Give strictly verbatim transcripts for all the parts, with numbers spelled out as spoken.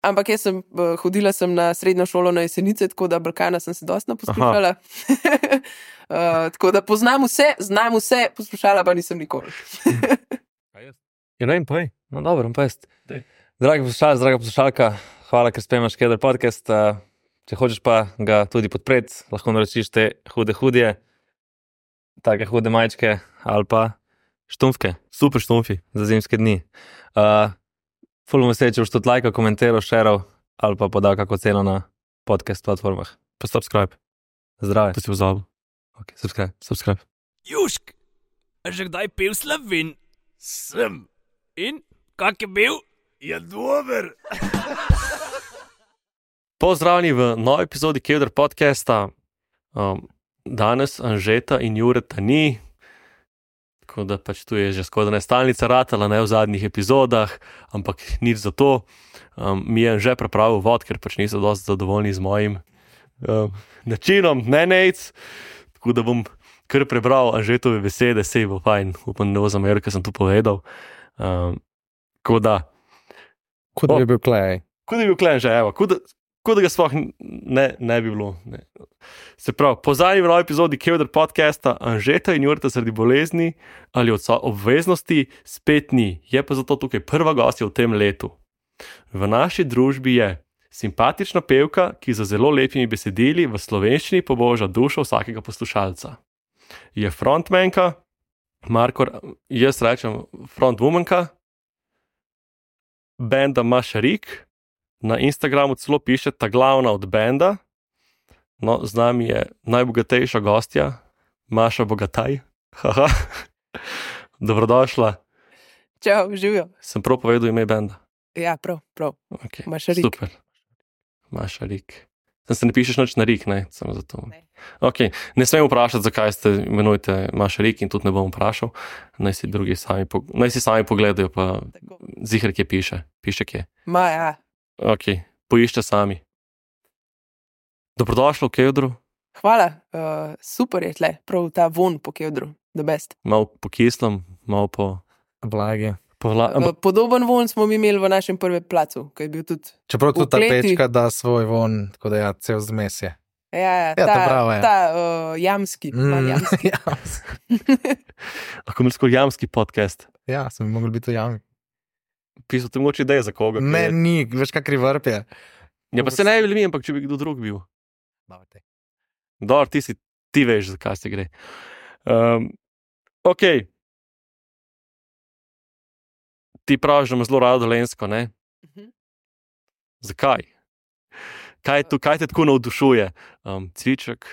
ampak jaz sem uh, hodila sem na srednjo šolo na Jesenice, tako da Balkana sem se dosti poslušala. uh, tako da poznam vse, znam vse, poslušala pa nisem nikoli. Ja, ne, povej. No, dobro, pa jest. Dragi poslušalci, draga poslušalka, hvala, ker spremljaš Keder podcast. Uh, če hočeš pa ga tudi podpreti, lahko naročiš te hude hudje, take hude majčke ali pa štumfke, super štumfi za zimske dni. Uh, ful bom vesel, če boš tudi lajkal, komentiral, šeral ali pa podal kako ceno na podcast platformah. Pa subscribe. Zdrave. To si pozabil. Ok, subscribe. Subscribe. Južk, a že kdaj pil Slovin? Sem. In kak je bil? Je dober. Pozdravljeni v novi epizodi Keder podcasta. Um, danes Anžeta in Jureta ni, tako da pač tu je že skoraj ne stalnica ratala, ne v zadnjih epizodah, ampak nič za to. Um, mi je Anže pripravil vod, ker pač niso dosti zadovoljni z mojim um, načinom, ne nejc, tako da bom kar prebral Anžetove besede, sej bo fajn, upam, ne bo zameril, ker sem tu povedal. Um, tako da Kud bi bil klej? Kud bi bil klej, že evo, kud, kud da ga sploh ne, ne bi bilo. Ne. Se pravi, pozadnji v novi epizodi Keder podcasta Anžeta in Jureta zaradi bolezni ali od obveznosti spet ni. Je pa zato tukaj prva gostja v tem letu. V naši družbi je simpatična pevka, ki za zelo lepimi besedili v slovenščini poboža dušo vsakega poslušalca. Je frontmanka, Marko, jaz rečem frontwomanka, benda Maša Rik, na Instagramu celo piše ta glavna od benda, no, z nami je najbogatejša gostja, Maša Bogataj. Haha. Dobrodošla. Čau, živijo. Sem prav povedal ime benda? Ja, prav, prav. Okay. Maša Rik. Super. Maša Rik. Sem se ne pišeš nič na Rik, ne? Samo zato. Ne. Ok, ne smem vprašati, zakaj ste imenujete Maša Rik in tudi ne bom vprašal. Naj si drugi sami, po, naj si sami pogledajo, pa ziher, kje piše. Piše kje. Ma, ja. Ok, poišče sami. Dobrodošlo v Kedru. Hvala, uh, super je tle, prav ta von po Kedru, the best. Mal po kislem, mal po... Blagi. po vla... Uh, podoben von smo mi imeli v našem prvem placu, ki je bil tudi... Čeprav tudi ta kleti. pečka da svoj von, tako da ja, cel zmes je. Ja, ja, Ja, ta, to prav je. ta uh, jamski, mm. jamski. Lahko imeli skoro jamski podcast. Ja, sem bi mogel biti v jami. Pisal ti mogoče ideje za koga. Ne, je... ni, veš kakri vrp je. Ja, pa se ne bi mi, ampak če bi kdo drug bil. Dobro, ti si, ti veš, zakaj se gre. Um, ok. Ti praviš, da ima zelo rado Dolenjsko, ne? Uh-huh. Zakaj? Kaj, tu, kaj te tako navdušuje? Um, cviček?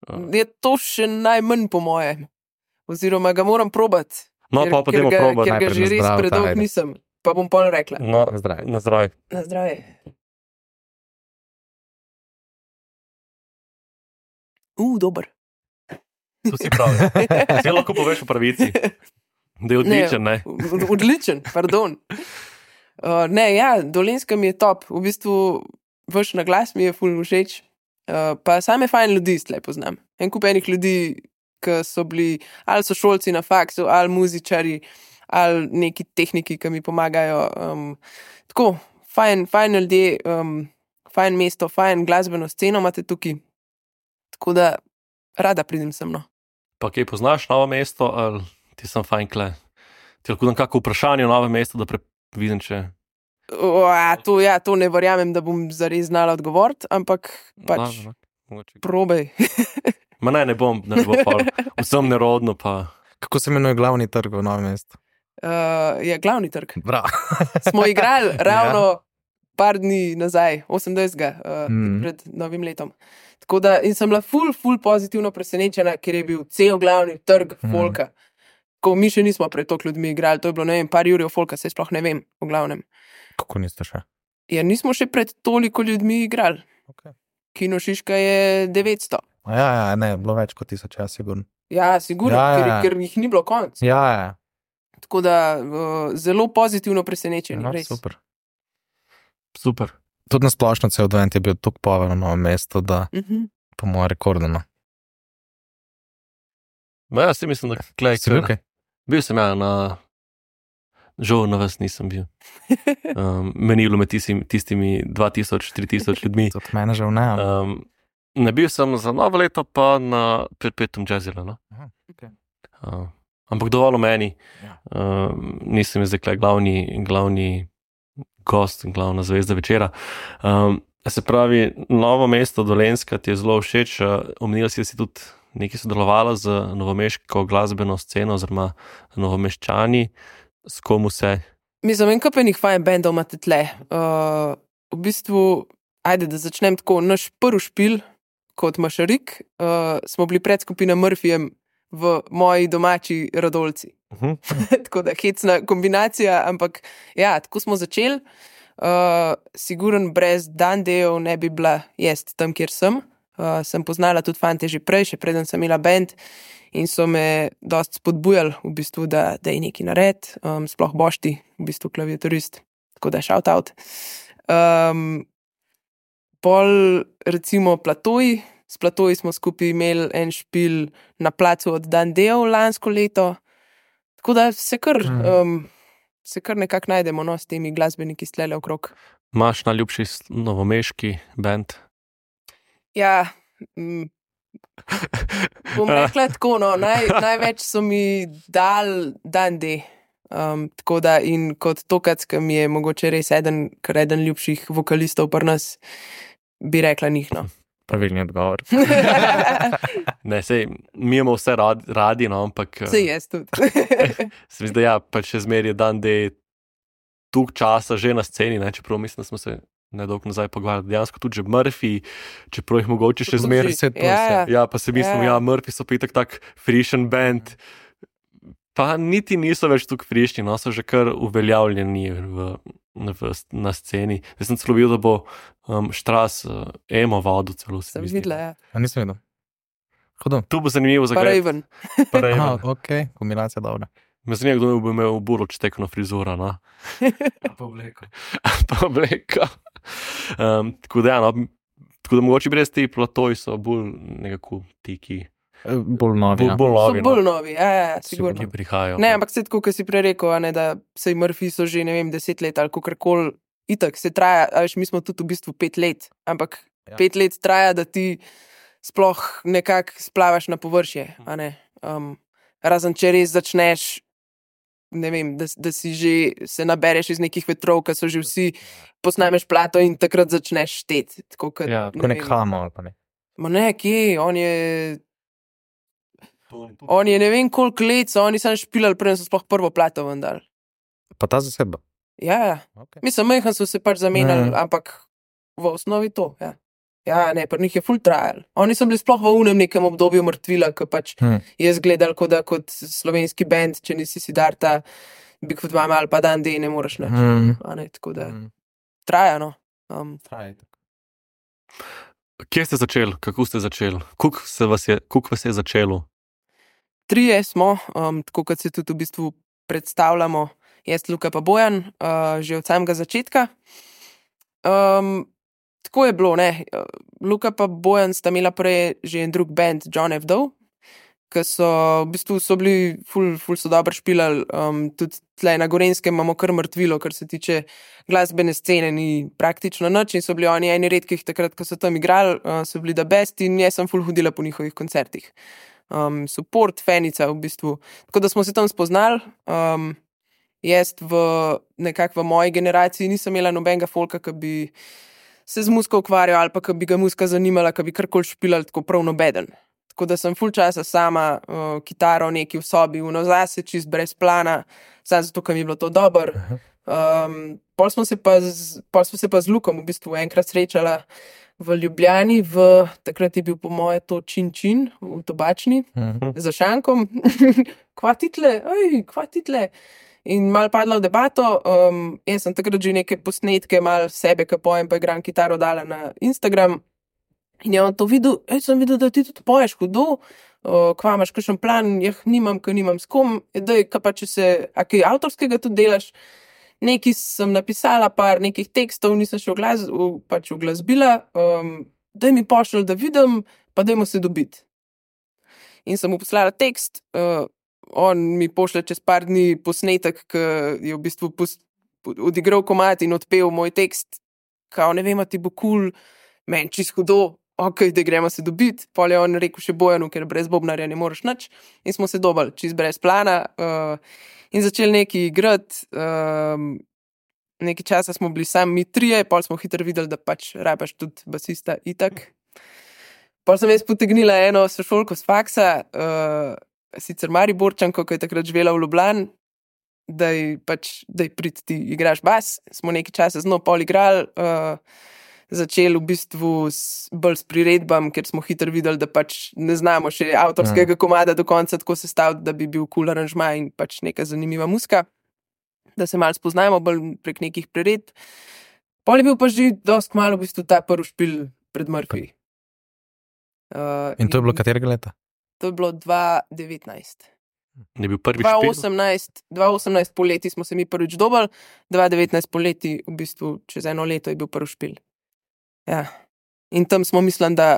Um. Je to še najmanj po moje. Oziroma ga moram probati. No, ker, pa pa dajmo probati. Ker ga najprej že na res zdravje, predolgo ajde. nisem. Pa bom pol rekla. No, Zdravje. na zdravje. Na zdravje. Uh, dober. To si pravi. Ti lahko poveš v pravici. Da je odličen, ne? ne? Odličen, pardon. Uh, ne, ja, Dolenjska mi je top. V bistvu vaš naglas mi je ful všeč. Uh, pa same fajn ljudi tle poznam. En kup enih ljudi, ki so bili, ali so šolci na faksu, ali muzičari, ali neki tehniki, ki mi pomagajo. Um, tako, fajn, fajn ljudje, um, fajn mesto, fajn glasbeno sceno imate tukaj. Tako da rada pridem sem, no. Pa kaj poznaš novo mesto, ali ti sem fajn kle? Ti lahko dam kako vprašanje o novem mestu, da previdim, če... O, a, to, ja, to ne verjamem, da bom zares znala odgovoriti, ampak pač No, no, probaj. Ma ne, ne bom, ne bo pol. Vsem nerodno, pa... Kako se imenuje glavni trg v Novem mestu? Uh, je glavni trg. Bravo. Smo igrali ravno ja. par dni nazaj, osemindvajsetega Uh, Mm. pred novim letom. Tako da, in sem bila ful, ful pozitivno presenečena, ker je bil cel glavni trg Mm. folka. Ko mi še nismo pred toliko ljudmi igrali, to je bilo, ne vem, par jurjev folka, se sploh ne vem, v glavnem. Kako niste še? Ja, nismo še pred toliko ljudmi igrali. Okay. Kino Šiška je devetsto. Ja, ja, ne, bilo več kot tisoč, ja, sigurno. Ja, sigurno, Ja, ja, ker, ja. ker jih ni bilo konc. Ja, ja. Tako da uh, zelo pozitivno presenečen. No, res. super. Super. Tudi na splošno cel advent je bil tako poln na Novem mestu, da Uh-huh. po mojem rekordno. Ma ja, si mislim, da klej, Si bil kaj? bil sem ja na Žal na vas nisem bil. Um, meni je bilo med tistimi, tistimi dva tisoč, tri tisoč ljudmi. Tudi mene žal ne. Um, ne bil sem za novo leto, pa na perpetuum jazzila. No? Aha, okay. uh, ampak dovolj o meni. Ja. Um, nisem zdaj kle glavni, glavni gost, glavna zvezda večera. Um, se pravi, Novo mesto Dolenjska ti je zelo všeč. Uh, omenila si, da si tudi nekaj sodelovala z novomeško glasbeno sceno, oziroma novomeščani. S komu se? Mislim, en kapenih fajn bendov imate tle. Uh, v bistvu, ajde, da začnem tako, naš prvi špil kot Mašarik, uh, smo bili pred skupino Murphyjem v moji domači Radolci. Uh-huh. Tako da hecna kombinacija, ampak ja, tako smo začeli. Uh, siguren brez Dandejev ne bi bila jaz tam, kjer sem. Uh, sem poznala tudi fante že prej, še preden sem imela band in so me dosti spodbujali v bistvu, da, da je nekaj nared, um, sploh Bošti, v bistvu klaviaturist, tako da shout out. Um, pol recimo Platoji, s Platoji smo skupaj imeli en špil na placu od Dandejev lansko leto, tako da se kar, um, se kar nekako najdemo no, s temi glasbeniki stlele okrog. Imaš najljubši novomeški band? Ja, mm, bom rekla tako, no, naj, največ so mi dal Dande. Um, tako da in kot tokac, ki mi je mogoče res eden, kar eden ljubših vokalistov pri nas, bi rekla njih, no. Pravilni odgovor. Ne, sej, mi imamo vse radi, radi no, ampak... Sej jaz tudi. Se mi zdi, da ja, pa še zmer je Dande tuk časa že na sceni, ne, čeprav mislim, da smo se nedolgo nazaj pogovarjali. Dejansko tudi že Murphy, čeprav jih mogoče še zmer... Ja, ja. Ja, pa se mislim, ja, Ja. ja Murphy so pa itak tak frišen band, pa niti niso več tukaj frišni, no, so že kar uveljavljeni v, v, na sceni. Zdaj sem celo videl, da bo um, Štras uh, emo vodil celo. se Sem mi zdi. videla, ja. A nisem videl. Hudo. Tu bo zanimivo za Pa gledati. Raven. Pa Raven. Aha, ok, kombinacija dobra. Me zanima, kdo bo imel burlo čtekno frizuro, no? Pa obleko. Pa obleko. Um, tako da, ja, no, tako da mogoče brez te platoji so bolj nekako tiki, Bolj novi, bolj, ja. bolj So novi, bolj no, novi, ja, ja, ki sigurno. prihajajo. Ne, ampak se tako, kot si prej rekel, a ne, da sej Murphy so že, ne vem, deset let ali kakorkoli, itak se traja, a veš, mi smo tudi v bistvu pet let, ampak Ja. ja. pet let traja, da ti sploh nekako splavaš na površje, a ne. Um, razen če res začneš, ne vem, da, da si že se nabereš iz nekih vetrov, ki so že vsi, posnameš plato in takrat začneš šteti. Tako kot, Ja, Ko nek hamo ali pa ne. Ma ne, kje, on je, on je ne vem koliko let, so oni sam špilali, preden so sploh prvo plato vendar. Pa ta zasedba. Ja, ja. Okay. Mislim, majhen so se pač zamenjali, Mhm. ampak v osnovi to, ja. Ja, ne, pri njih je full trial. Oni so bili sploh v unem nekem obdobju mrtvila, ko pač Hm. jaz gledal, kot da kot slovenski band, če nisi Siddharta, Big Foot Mama ali pa Dande, ne moreš nič. Hm. A ne, tako da Hm. traja, no. Um, Traje tako. Kje ste začeli, kako ste začeli, kako se vas je, kako vas je začelo? Trije smo, um, tako kot se tudi v bistvu predstavljamo, jaz, Luka pa Bojan, uh, že od samega začetka. Um, tako je bilo, ne. Luka pa Bojan sta imela prej že en drug band, John F. Doe, ki so v bistvu so bili ful, ful so dobro špilali, um, tudi tle na Gorenskem imamo kar mrtvilo, kar se tiče glasbene scene, ni praktično nič in so bili oni eni redkih takrat, ko so tam igrali, uh, so bili the best in jaz sem ful hodila po njihovih koncertih. Um, support, fenica v bistvu. Tako da smo se tam spoznali. Um, jaz v nekako v moji generaciji nisem imela nobenega folka, ki bi se z muziko ukvarjal ali pa ki bi ga muzika zanimala, ki bi karkoli špilal tako prav nobeden. Tako da sem ful časa sama, uh, kitaro neki v sobi, v zase, čist brez plana, samo zato, ker mi je bilo to dobro. Um, pol smo se pa z, pol smo se pa z Lukom v bistvu enkrat srečala v Ljubljani, v, takrat je bil po moje to Čin Čin v Tobačni, Mhm. za šankom, kva title, ej, kva title. In malo padla v debato, um, jaz sem takrat že neke posnetke, malo sebe, ki pojem, pa igram kitaro, dala na Instagram. In je on to videl, ej, sem videl, da ti tudi poješ hudo, uh, kva imaš kakšen plan, jah nimam, ker nimam s kom, daj, kaj pa če se, a kaj avtorskega tudi delaš. Nekaj sem napisala, par nekih tekstov, nisem še v, glas, v, pač v glasbila, um, daj mi pošlj, da vidim, pa dajmo se dobiti. In sem mu poslala tekst, uh, on mi pošlje čez par dni posnetek, ki je v bistvu pos, odigral komad in odpel moj tekst, kao ne vem, a ti bo kul, cool, meni čist hudo, ok, da gremo se dobiti, pol je on rekel še Bojanu, ker brez bobnarja ne moreš nič, in smo se dobili čist brez plana uh, in začeli nekaj igrati, um, nekaj časa smo bili sami mi trije, pol smo hitro videli, da pač rabaš tudi basista itak. Pol sem jaz potegnila eno sošolko z faksa, uh, sicer Mariborčanko, ki je takrat živela v Ljubljani, da je pač, da je prid ti igraš bas, smo nekaj časa z njo pol igrali, uh, začeli v bistvu s, bolj s priredbam, ker smo hitro videli, da pač ne znamo še avtorskega komada do konca tako sestaviti, da bi bil cool aranžma in pač neka zanimiva muska, da se malo spoznajmo bolj prek nekih priredb. Pol je bil pa že dosti kmalu v bistvu ta prvi špil pred Murphy. Uh, In to je bilo katerega leta? To je bilo dva tisoč devetnajst. Je bil prvi dva špil? tisoč osemnajst, dva tisoč osemnajst poleti smo se mi prvič dobili, dva tisoč devetnajst poleti, v bistvu čez eno leto je bil prvi špil. Ja. In tam smo mislim, da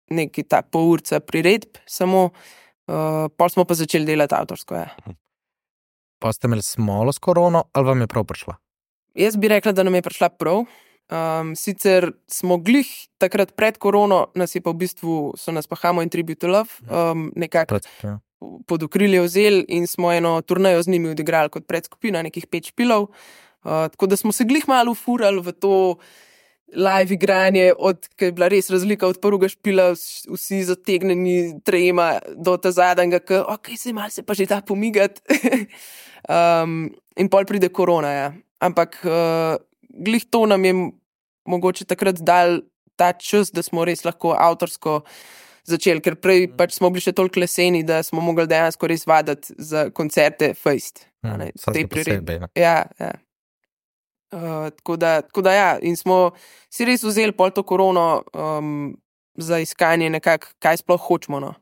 neki ta pol urca priredb, samo uh, pol smo pa začeli delati avtorsko. Ja. Pa ste imeli smolo s korono, ali vam je prav prišla? Jaz bi rekla, da nam je prišla prav. Um, sicer smo glih takrat pred korono, nas je pa v bistvu, so nas pa Hamo in Tribute to Love um, nekako Ja. pod okrilje vzeli in smo eno turnejo z njimi odigrali kot predskupina, nekih pet špilov. Uh, tako da smo se glih malo ufurali v to live igranje, od, ki je bila res razlika od prvega špila, vsi zategneni trejema do ta zadnjega, ki ok, se malo se pa že da pomigati. um, in pol pride korona, ja. Ampak uh, glih to nam je mogoče takrat dal ta čas, da smo res lahko avtorsko začeli, ker prej pač smo bili še toliko leseni, da smo mogli dejansko res vaditi za koncerte fejst. Hmm, Vse posebej. Ja, ja. Uh, tako, da, tako da ja, in smo si res vzeli pol to korono um, za iskanje nekako, kaj sploh hočemo, no.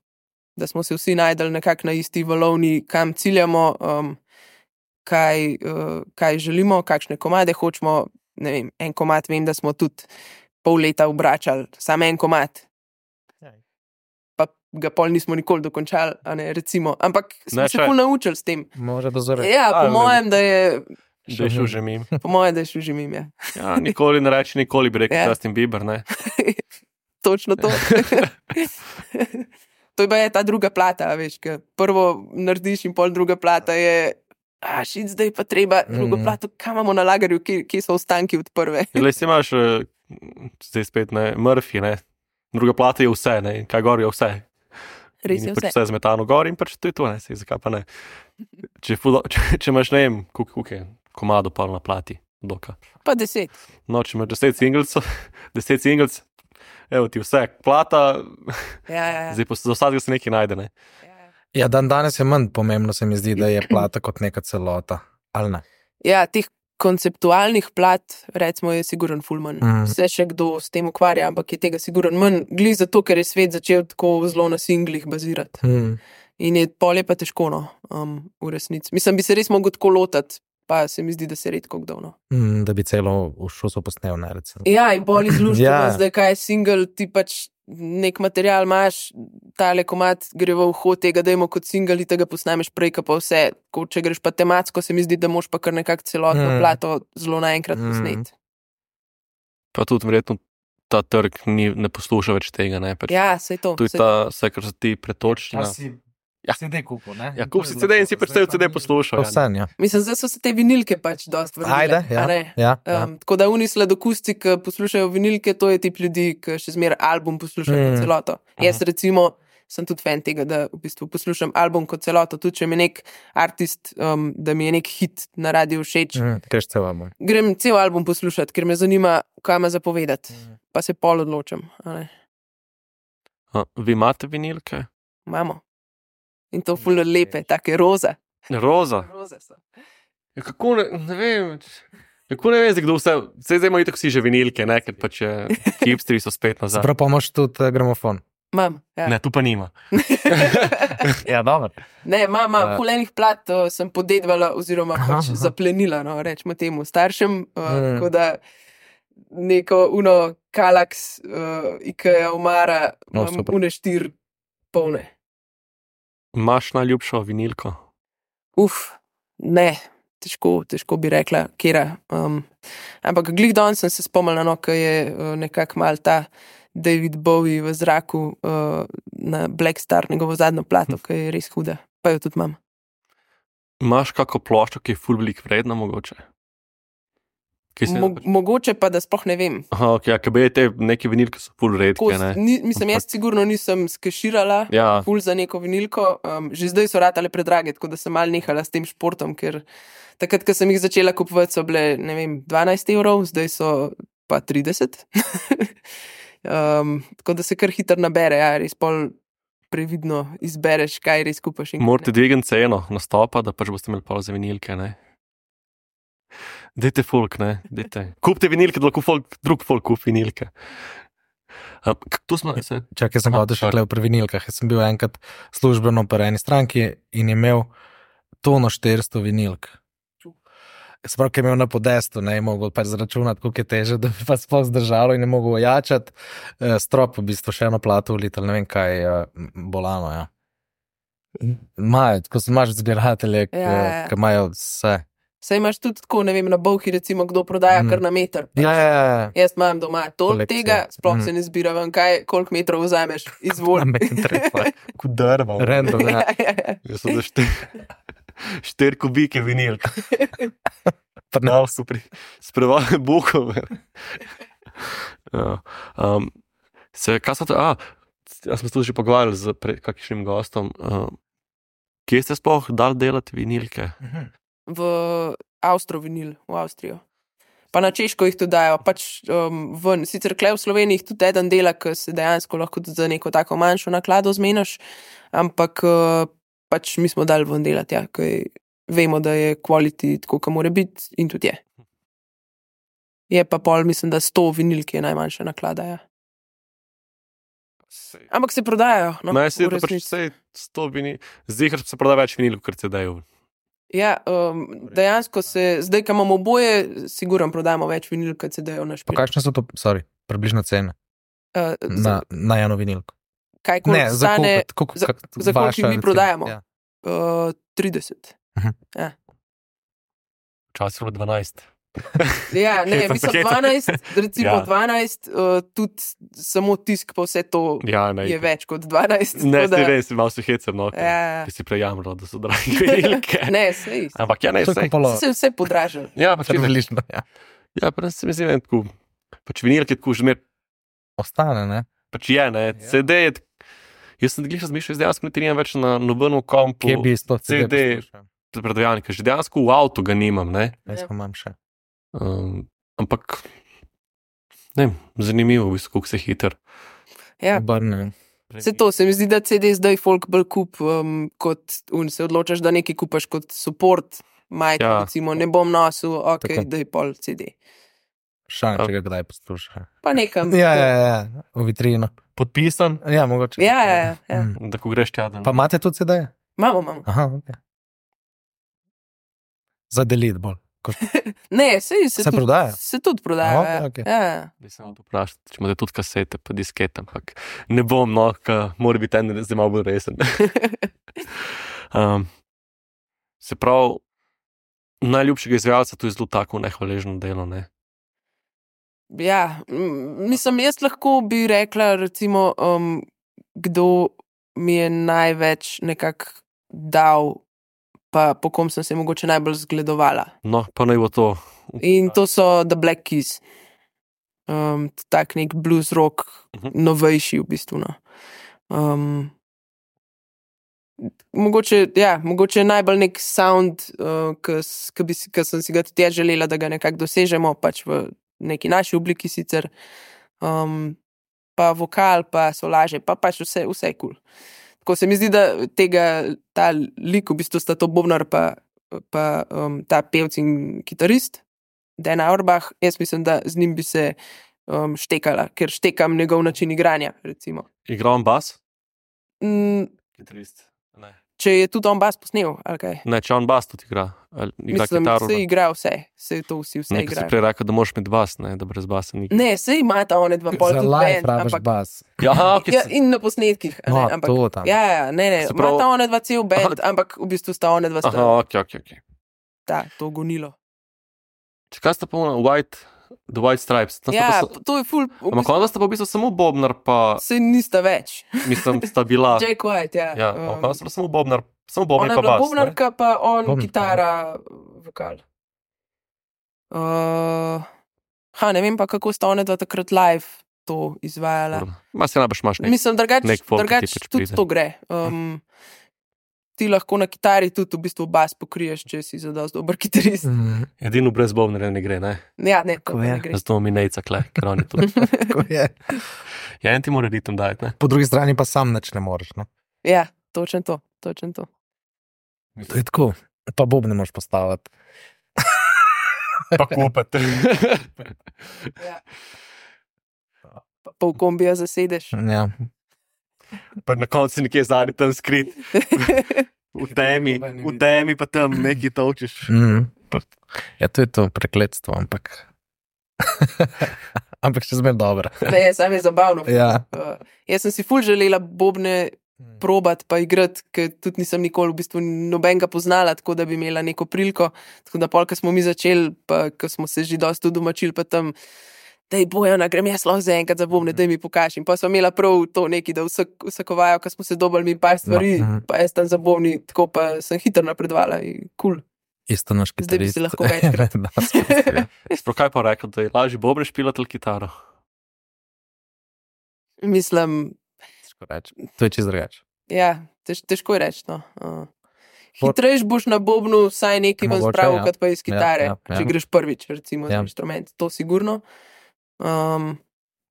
Da smo se vsi najdeli nekako na isti valovni, kam ciljamo, um, kaj, uh, kaj želimo, kakšne komade hočemo, ne vem, en komad vem, da smo tudi pol leta obračali, samo en komad. Pa ga pol nismo nikoli dokončali, a ne, recimo, ampak smo Ne, se še- ful naučili s tem. Može dozoreti. Ja, A, po mojem, da je Da je šel že mim. po mojem, da je šel že mim, ja. Ja, nikoli ne reči, nikoli bi rekel Ja. Justin Bieber, ne. Točno to. To je pa je ta druga plata, a veš, ker prvo narediš in pol druga plata je, a šit, zdaj pa treba drugo Mhm. plato, kam imamo na lagerju, kje, kje so ostanki od prve. Le si imaš, eh, zdaj spet ne, Murphy, ne. Druga plata je vse, ne, in kaj gor je vse. Res In je pač vse. vse zmetano gor in pač to je to, ne, sej, zakaj pa ne. Če, je ful, če, če imaš, ne vem, koliko je komado pa na plati, doka. Pa deset. No, če imaš deset singles, deset singles, evo ti vse, plata, Ja, ja, ja. zdaj pa za vsakega se nekaj najde, ne. Ja, dan danes je manj pomembno, se mi zdi, da je plata kot neka celota. Ali ne? Ja, teh konceptualnih plat, recimo, je siguren ful manj. Mhm. Vse še kdo s tem ukvarja, ampak je tega siguren manj. Glih zato, ker je svet začel tako zelo na singlih bazirati. Hmm. In je pol je pa težko, no, um, v resnici. Mislim, bi se res mogel tako lotati, pa se mi zdi, da se redko kdo, no. Hmm, da bi celo v šusu posnel, ne recimo. Ja, in pol izluščeno, Ja. ja. Zdaj kaj je single, ti pač nek material imaš, tale komad gre v uho tega, dajmo kot single, tega posnameš prej, ka pa vse. Ko, če greš pa tematsko, se mi zdi, da moš pa kar nekako celotno Mm. mm. plato zelo naenkrat Mm. posneti. Pa tudi verjetno ta trg ni, ne posluša več tega, ne. Pač, Ja, sej to. tu je saj ta, vse, kar se ti pretoči. na- Ja. C D kupil, ne? Ja, kup si C D in si pač cel C D poslušal. To Ja. vse, ja. Mislim, zdaj so se te vinilke pač dosti vrnile. Ajde, a ja. ne? ja, ja. Um, tako da oni sladokusti, ki poslušajo vinilke, to je tip ljudi, ki še zmeraj album poslušajo Mm. kot celoto. Jaz recimo sem tudi fan tega, da v bistvu poslušam album kot celoto, tudi če mi je nek artist, um, da mi je nek hit na radiju všeč. Mm, greš cel album. Grem cel album poslušati, ker me zanima, kaj ima zapovedati. Pa se pol odločam. a ne. A, vi imate vinilke? Imamo. In to ful lepe, take roza. Roza. Roze so. Ja, kako ne, ne vem. Kako ne vem, zdaj, kdo vse, vse zdaj imajo tako vsi že vinilke, ne, ker pač je, hipsteri so spet nazaj. Sprav pa imaš tudi eh, gramofon. Imam. Ja. Ne, tu pa nima. Ja, dobro. Ne, imam Uh, ful enih plat, uh, sem podedvala oziroma Aha, pač aha. zaplenila, no, rečemo temu staršem. Uh, Mm. Tako da neko uno Kalax, uh, Ikea, Omara, No, imam super. une štir polne. Imaš najljubšo vinilko? Uf, ne, težko, težko bi rekla, kera. Um, ampak glih danes sem se spomnila, no, ko je uh, nekako mal ta David Bowie v zraku uh, na Black Star, njegovo zadnjo plato, ki je res huda. Pa jo tudi imam. Imaš kako ploščo, ki je ful velik vredna mogoče? Mo mogoče pa, da sploh ne vem. Aha, ok, ja, ker bi te neke vinilke so ful redke, ne? Ni, mislim, jaz sigurno nisem skeširala Ja. ful za neko vinilko. Um, že zdaj so ratale predrage, tako da sem mal nehala s tem športom, ker takrat, ko sem jih začela kupovati, so bile, ne vem, dvanajst evrov, zdaj so pa trideset. um, tako da se kar hitro nabere, ja, res pol previdno izbereš, kaj res kupaš. in kaj Morate ne. dvigati ceno nastopa, da pač boste imeli pol za vinilke, ne? Dajte folk, ne? Dajte. Kupite vinilke, da lahko folk, drug folk kupi vinilke. Um, to smo se... Čakaj, sem Aha, hodil še sorry. tle pri vinilkah. Jaz sem bil enkrat službeno pri eni stranki in je imel tono štiristo vinilk. Se pravi, ki je imel na podestu, ne je mogel pač zračunati, koliko je teže, da bi pa sploh zdržalo in je mogel ojačati. Eh, strop v bistvu še eno plato uliti, ali ne vem kaj, eh, bolano, ja. Imajo, ko se imaš zbiratelje, Ja, ja, ja. ki imajo vse. Saj imaš tudi tako, ne vem, na Bolhi recimo, kdo prodaja Mm. kar na meter. Ja, ja, ja. Jaz imam doma toliko Kolekcija. tega, sploh Mm. se ne zbira ven, kaj, koliko metrov vzameš, izvoli. Kot drva. Random, ja. Ja, ja, ja. Jaz sem za štiri, štiri kubike vinilk. Pa ne. No, super. Sprevali buhov. Ja. Um, se, kaj so to? A, jaz smo se tudi že pogovarjali z pre- kakšnim gostom. Um, kje ste sploh dali delati vinilke? V Avstro vinil, v Avstrijo. Pa na Češko jih tudi dajo, pač um, ven. Sicer kle v Sloveniji jih tudi eden dela, ki se dejansko lahko tudi za neko tako manjšo naklado zmeniš, ampak uh, pač mi smo dali ven delati, ja, ker vemo, da je quality tako, kot mora biti in tudi je. Je pa pol, mislim, da sto vinilk je najmanjša naklada, ja. Ampak se prodajajo. No, No, jaz se v da pač resnici. vse sto vinil, zdaj se prodaja več vinilk, kot se dajo. Ja, um, dejansko se, zdaj, ko imamo oboje, sigurno prodajamo več vinil, kot se dajo na Pa špil. kakšne so to, sorry, približno cene Uh, na, na eno vinilko? kaj Ne, koliko za stane? kupiti, koliko, za- kak, za koliko vaša, jih mi recimo, prodajamo? Ja. Uh, trideset. Včasih je bilo dvanajst. Ja, ne, Hecam se, mislim hecam. dvanajst, recimo Ja. dvanajst, uh, tudi samo tisk pa vse to Ja, ne. je več kot dvanajst. Ne, tako da- ne, si malo se hecam, no. ker- Ja. Ker si prejamro, da so dragi vinilke. Ne, sej. Ampak ja, ne, To je sej. kupalo, Se vse podražilo. Ja, pač je približno, ja. Ja, pa se mi zdi, da je tako. Pač vinilke tako že mer, Ostane, ne? pač je, ne. Ja. C D je, tak- jaz sem glih razmišljal, zdaj dejansko niti nimam več na nobenem kompu. Kje bi sploh C D predvajalnika, že dejansko v avtu ga nimam, ne. Jaz pa imam še. Um, ampak, ne vem, zanimivo, v bistvu, kako se hiter. Ja. Obrne. Se to, se mi zdi, da C D zdaj folk bolj kup, um, kot un, se odločaš, da nekaj kupaš kot support, majk, Ja. ja. recimo, ne bom nosil, ok, Tako. daj pol C D. Šan, če ga kdaj posluša. Pa nekam. Ja, ja, ja, v vitrino. Podpisan, Ja, mogoče. Ja, ja, ja, ja. Mm. da ko greš tja, da Pa imate tudi C D-je? Imamo, imamo. Aha, ok. Za delit bolj. Ko- Ne, se, se, Se tudi, prodaja? se tudi prodaja. Aha, ja. okej. Ja, ja. bi se to vprašal, če imate tudi kasete, pa diskete, ampak ne bom, no, ka mora biti en, zdaj malo bolj resen. um, se pravi, najljubšega izvajalca to je zelo tako nehvaležno delo, ne? Ja, m, mislim, jaz lahko bi rekla, recimo, um, kdo mi je največ nekako dal, pa po kom sem se mogoče najbolj zgledovala. No, pa naj bo to. In to so The Black Keys. Um, tak nek blues rock, Mhm. novejši v bistvu. No. Um, mogoče, ja, mogoče najbolj nek sound, uh, ki sem si ga tudi jaz želela, da ga nekako dosežemo, pač v neki naši obliki sicer. Um, pa vokal, pa solaže, pa pač vse, vse kul. Cool. Tako se mi zdi, da tega, ta lik, v bistvu sta to bobnar, pa, pa um, ta pevc in kitarist, Dan Auerbach, jaz mislim, da z njim bi se um, štekala, ker štekam njegov način igranja, recimo. Igram bas? Mm, Kitarist. Ne. če je tudi on bas posnel, ali kaj. Ne, če on bas tudi igra. Ali igra Mislim, kitaro. se igra vse, se to vsi vse Nekaj si igrajo. prej rekel, da moraš imeti bas, ne, da brez basa ni. Ne, se imata one dva pol Za tudi live band, rabiš ampak bas. Ja, ok, ja, in na posnetkih, a ne, No, ampak to tam. ja, ja, ne, ne, Se pravi- imata one dva cel band, ampak v bistvu sta one dva sta Aha, ok, ok, ok. ta, to gonilo. Če kaj sta pa ona, White, The White Stripes. Tam sta Ja, pa sa- to je ful, v Ampak bistvu, ona sta pa v bistvu samo bobnar, pa se nista več. mislim, sta bila. Jack White, ja. Ja, um, ampak ona sta pa samo bobnar, samo bobnar Ona je pa bila bas. ne? bobnarka, pa on Bobnar, kitara, vokal. Uh, ha, ne vem pa, kako sta ona dva takrat live to izvajala. Ma se najbrž imaš nek. Mislim, drugač, nek folk, ki drugač ti pač tudi pride. to gre. Um, ti lahko na kitari tudi v bistvu bas pokriješ, če si zadost dober kitarist. Mm, Edino brez bobnarja ne gre, ne. Ja, ne, to Tako pa je. ne gre. Zato mi nejca kle, ker oni to. tako je. Ja, en ti mora ritem dajati, ne. Po drugi strani pa sam nič ne moreš. Ne? Ja, točno to, točno to. To je tako. Pa bob ne moreš postaviti. Pa kupate. Ja. Pa pol kombija zasedeš. Ja. Pa na koncu nekje zadnji tam skrit. V temi, v temi pa tam nekaj točiš. Mm. Ja, to je to prekletstvo, ampak. ampak še zmeraj dobro. Ne, sam je zabavno. Ja. Uh, jaz sem si ful želela bobne probat pa igrati, ker tudi nisem nikoli v bistvu nobenega poznala, tako da bi imela neko priliko. Tako da pol, ko smo mi začeli, pa ko smo se že dosti domačili, pa tam, dej Bojana, grem jaz lahko za enkrat za bobne, dej mi pokaži. In pa smo imela prav to neki, da vsak, vsakovajo, ko smo se dobili mi par stvari, No, mhm. pa jaz tam za bobni, tako pa sem hitro napredovala in kul. Cool. Isto naš Zdaj bi kitarist. si lahko večkrat. Da, spet, ja. Sploh kaj pa rekel, da je lažje bobre špilati ali kitaro? Mislim, Težko reči. To je čisto drugače. ja, tež, težko je reči. No. Uh. Pot- Hitrejš boš na bobnu vsaj nekaj ven Mogoče, spravil, ja. kot pa iz kitare, Ja, ja, ja. če greš prvič, recimo, Ja. za inštrument. To sigurno. Um,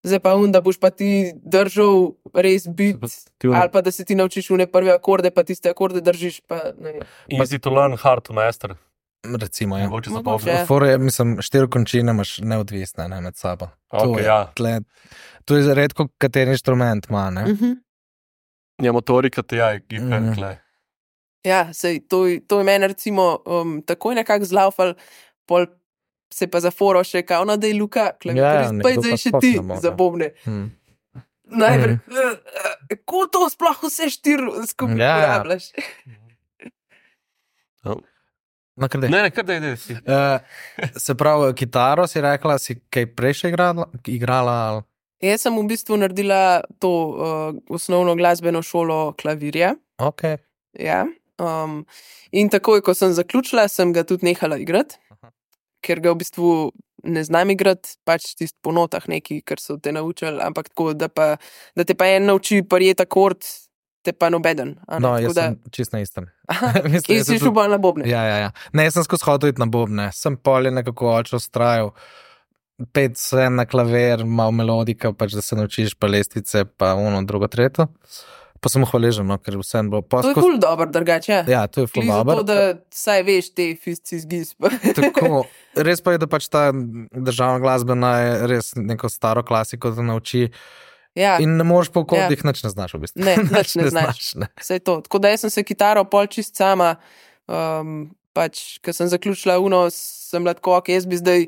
zdaj pa un, da boš pa ti držal res bit, Ti ali pa da se ti naučiš une prve akorde, pa tiste akorde držiš, pa ne vem. Easy to learn, hard to master. Recimo, ja. Mogoče za Mogoče. bobre. Ja. Fore, mislim, štiri končine imaš neodvisne ne, med sabo. To Ok, je, ja. tle, to je redko, kateri inštrument ima. Ne? Uh -huh. Ja, motorika te ja, gife, Mhm. kle. Ja, sej, to, je- to je meni recimo um, takoj nekako zlaufal, pol se pa zaforo še, kao, no, da je Luka, klaviaturist, Ja, pa nekdo zdaj pa še sploh ti ne more. za bobne. Hmm. Najprej, Mhm. kako to sploh vse štiri skupaj Ja, ja. uporabljaš? No, kar dej. Ne, ne, kar da je, si. Uh, se pravi, kitaro si rekla, si kaj prej še igrala? igrala ali? Jaz sem v bistvu naredila to uh, osnovno glasbeno šolo klavirja. Okay. Ja. Um, in takoj, ko sem zaključila, sem ga tudi nehala igrati, Aha. ker ga v bistvu ne znam igrati, pač tisti po notah neki, kar so te naučili, ampak tako, da, pa, da te pa en nauči prijeti akord, te pa nobeden. a ne. No, Tako jaz da, sem čist na istem. aha, Mislim, in jaz si sem šel tudi- bolj na bobne. Ja, ja, ja. Ne, jaz sem skozi hodil iti na bobne. Sem pol je nekako oče ustrajal. Pet se na klavir, malo melodika, pač da se naučiš pa lestvice, pa ono, drugo, tretje. Pa sem hvaležen, no, ker vsem bo To je poskos. ful dobro, drugače. Ja. Ja, to je ful Glih zato, dobro. da saj veš te fisci zgiz. Tako, res pa je, da pač ta državna glasbena je res neko staro klasiko, da nauči. ja. In ne moreš po kodih, ja. nič ne znaš v bistvu. Ne, nič ne znaš. ne. Vse to. Tako da jaz sem se kitaro pol čist sama, um, pač, ko sem zaključila uno, sem bila tako, ok, jaz bi zdaj,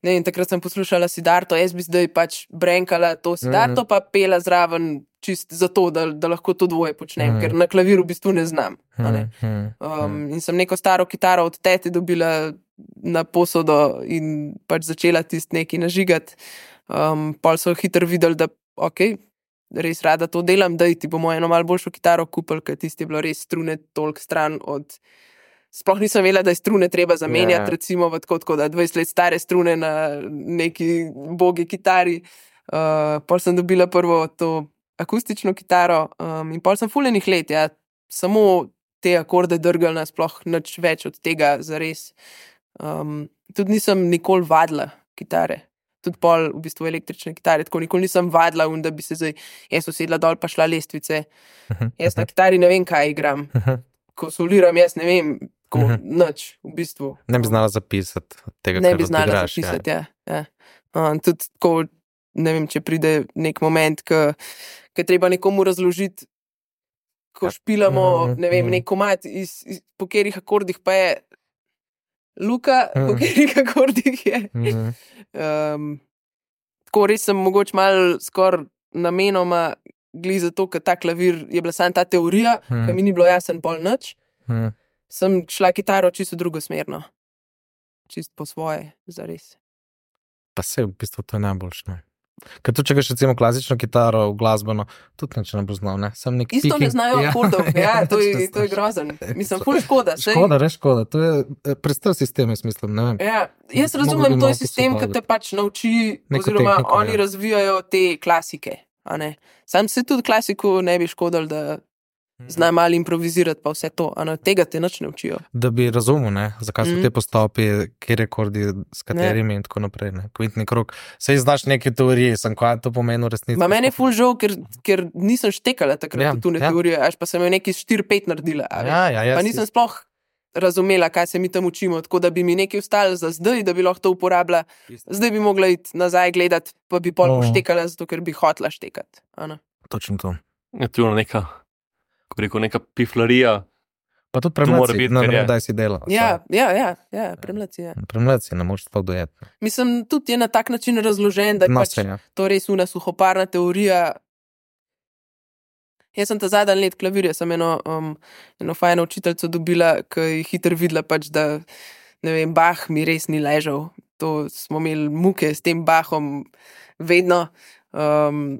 ne vem, takrat sem poslušala Sidarto, jaz bi zdaj pač brenkala to Sidarto, mm -hmm. pa pela zraven čist zato, da, da lahko to dvoje počnem, mm -hmm. ker na klaviru v bistvu ne znam. a Ne? Hmm, Um, in sem neko staro kitaro od tete dobila na posodo in pač začela tisti neki nažigati. Um, pol so hitro videli, da ok, res rada to delam, da ti bomo eno malo boljšo kitaro kupili, ker tisti je bilo res strune toliko stran od. Sploh nisem vedela, da je strune treba zamenjati, Ja. recimo v tako, tako da dvajset let stare strune na neki bogi kitari. Uh, pol sem dobila prvo to akustično kitaro um, in pol sem fuljenih let, ja, samo te akorde drgalna, sploh nič več od tega zares. Um, tudi nisem nikoli vadila kitare. Tudi pol v bistvu električne kitare, tako nikoli nisem vadila, un, da bi se zdaj jaz usedla dol pa šla lestvice. Jaz na kitari ne vem, kaj igram. Ko soliram, jaz ne vem, ko nič v bistvu. Ne bi znala zapisati tega, Ne kar bi znala odigraš, zapisati, ja. ja. Um, tudi ko, ne vem, če pride nek moment, ko je treba nekomu razložiti ko špilamo, Mhm, ne vem, mhm. nek komad, iz, iz, po katerih akordih pa je Luka, po Mhm. katerih akordih je. Mhm. Um, tako res sem mogoče malo skoraj namenoma gli zato, ker ta klavir je bila samo ta teorija, Mhm. ki mi ni bilo jasen pol nič. Mhm. Sem šla kitaro čisto drugo smerno. Čisto po svoje, zares. Pa se v bistvu to je najboljše. Ne? Ker tu, če greš recimo klasično kitaro, glasbeno, tudi nič ne bo znal, ne? Sem nek Isto ne picking- znajo akordov, ja, to je, točno, to je točno. grozen. Mislim, ful škoda. saj- Škoda, res škoda. To je eh, prestar sistem, jaz mislim, ne vem. Ja, jaz Mogli bi razumem, to malo je sistem, ki posodobiti. te pač nauči, Neko oziroma tehniko, oni ja. razvijajo te klasike. a ne. Sam se tudi klasiku ne bi škodil, da zna malo improvizirati, pa vse to. a ne. Tega te nič ne učijo. Da bi razumel, ne, zakaj so Mhm. te postopi, kje rekordi, s katerimi in tako naprej. Ne. Kvintni krog. Sej znaš neke teorije, sem kaj to pomeni v resnici. Ma meni je ful žal, ker, ker nisem štekala takrat Ja, v tune ja. teorije, až pa sem jo neki štiri pet naredila. a veš. Ja, ja, ja, Pa si- nisem sploh razumela, kaj se mi tam učimo, tako da bi mi nekaj ostalo za zdaj, da bi lahko to uporabila. Zdaj bi mogla iti nazaj gledati, pa bi pol No. poštekala, zato ker bi hotla štekati. a ne. Točno to. Je tu neka, ko rekel, neka piflarija. Pa tudi To mora premleci, biti, ne ker vem, je. kdaj si delal. Ja, ja, ja, ja premleci je. Premleci ne moreš sploh dojeti. Mislim, tudi je na tak način razložen, da je No, pač se, ja. to res una suhoparna teorija. Jaz sem ta zadnji let klavirja, sem eno, um, eno fajno učiteljico dobila, ki je hitro videla, pač, da ne vem, Bach mi res ni ležal. To smo imeli muke s tem Bachom vedno. Um,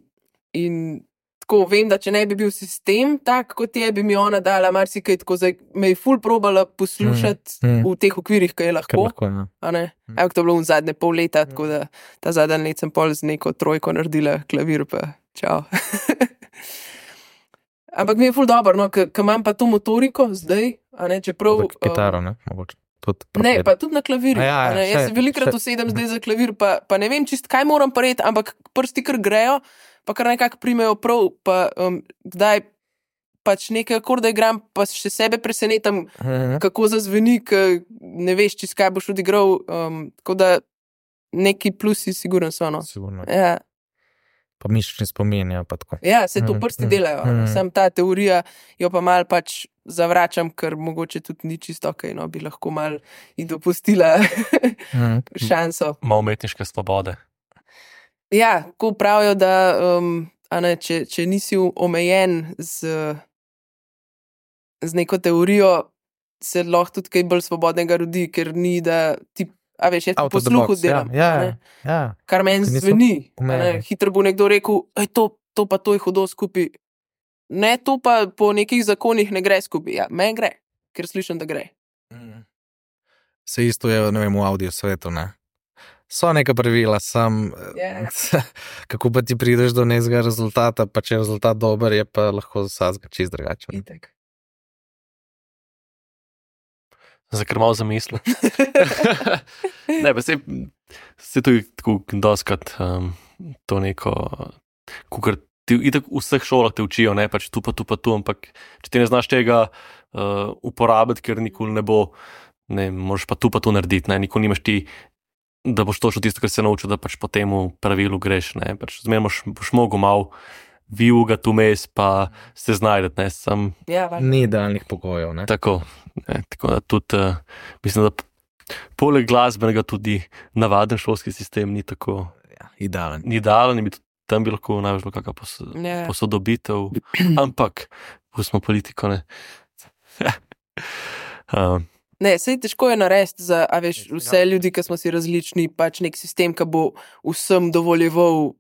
in tako vem, da če ne bi bil sistem tak, kot je, bi mi ona dala marsikaj, tako zdaj me je ful probala poslušati Mm, mm. v teh okvirih, ki je Kar lahko. lahko, ja. A ne? Evo, to je bilo v zadnje pol leta, tako da ta zadnji let sem pol z neko trojko naredila klavir, pa čau. Ampak mi je ful dobro, no, ker imam pa to motoriko zdaj, a ne, čeprav... Za kitaro, ne, mogoče. Tudi Ne, propet. pa tudi na klavirju. A ja, ja, a ne. Jaz še- se velikrat še- usedem zdaj za klavir, pa, pa ne vem čist, kaj moram pareti, ampak prsti kar grejo, pa kar nekako primejo prav, pa um, kdaj pač nekaj akorde igram, pa še sebe presenetam, Mhm. kako zazveni, ker ne veš, čist kaj boš odigral. Um, tako da neki plusi, sigurno so. No. Sigurno. Ja, Pa mišični spomin, ja, pa tako. ja, se to Mhm, prsti mhm, delajo. Mm. mhm. Sam ta teorija jo pa mal pač zavračam, ker mogoče tudi ni čisto ok, no bi lahko mal in dopustila Mhm. šanso. Malo umetniške svobode. Ja, ko pravijo, da um, a ne, če, če nisi omejen z, z neko teorijo, se lahko tudi kaj bolj svobodnega rodi, ker ni, da ti, a veš, jaz po Out of the posluhu box, delam. Ja, a ne. ja, ja. Kar meni Ker niso zveni. a ne. omejeni. Hitro bo nekdo rekel, da to, to pa to je hudo skupaj. Ne, to pa po nekih zakonih ne gre skupaj. Ja, meni gre, ker slišim, da gre. Se isto je, ne vem, v audio svetu, ne. So neka pravila, sam, Ja. kako pa ti prideš do nekega rezultata, pa če je rezultat dober, je pa lahko za vsakega čist drugačen. Itak. Za kar malo zamisli. Ne, pa se, se tudi tako doskrat um, to neko, kukar ti itak v vseh šolah te učijo, ne, pač tu pa tu pa tu, ampak če ti ne znaš tega uh, uporabiti, ker nikoli ne bo, ne, moraš pa tu pa tu narediti, ne, nikoli nimaš ti, da boš točno tisto, kar se naučil, da pač po temu pravilu greš, ne, pač zmeraj boš, boš mogel malo vijugati vmes, pa se znajdeti, ne, sam Ja, valjda. Ni idealnih pogojev, ne. tako, ne, tako da tudi, uh, mislim, da p- poleg glasbenega tudi navaden šolski sistem ni tako, Ja, idealen. ni idealen in bi tudi tam bi lahko največ bila kakšna pos, Ja. posodobitev, ampak pustimo politiko, ne. um, Ne, sej težko je narediti za a veš, vse ljudi, ki smo si različni, pač nek sistem, ki bo vsem dovoljeval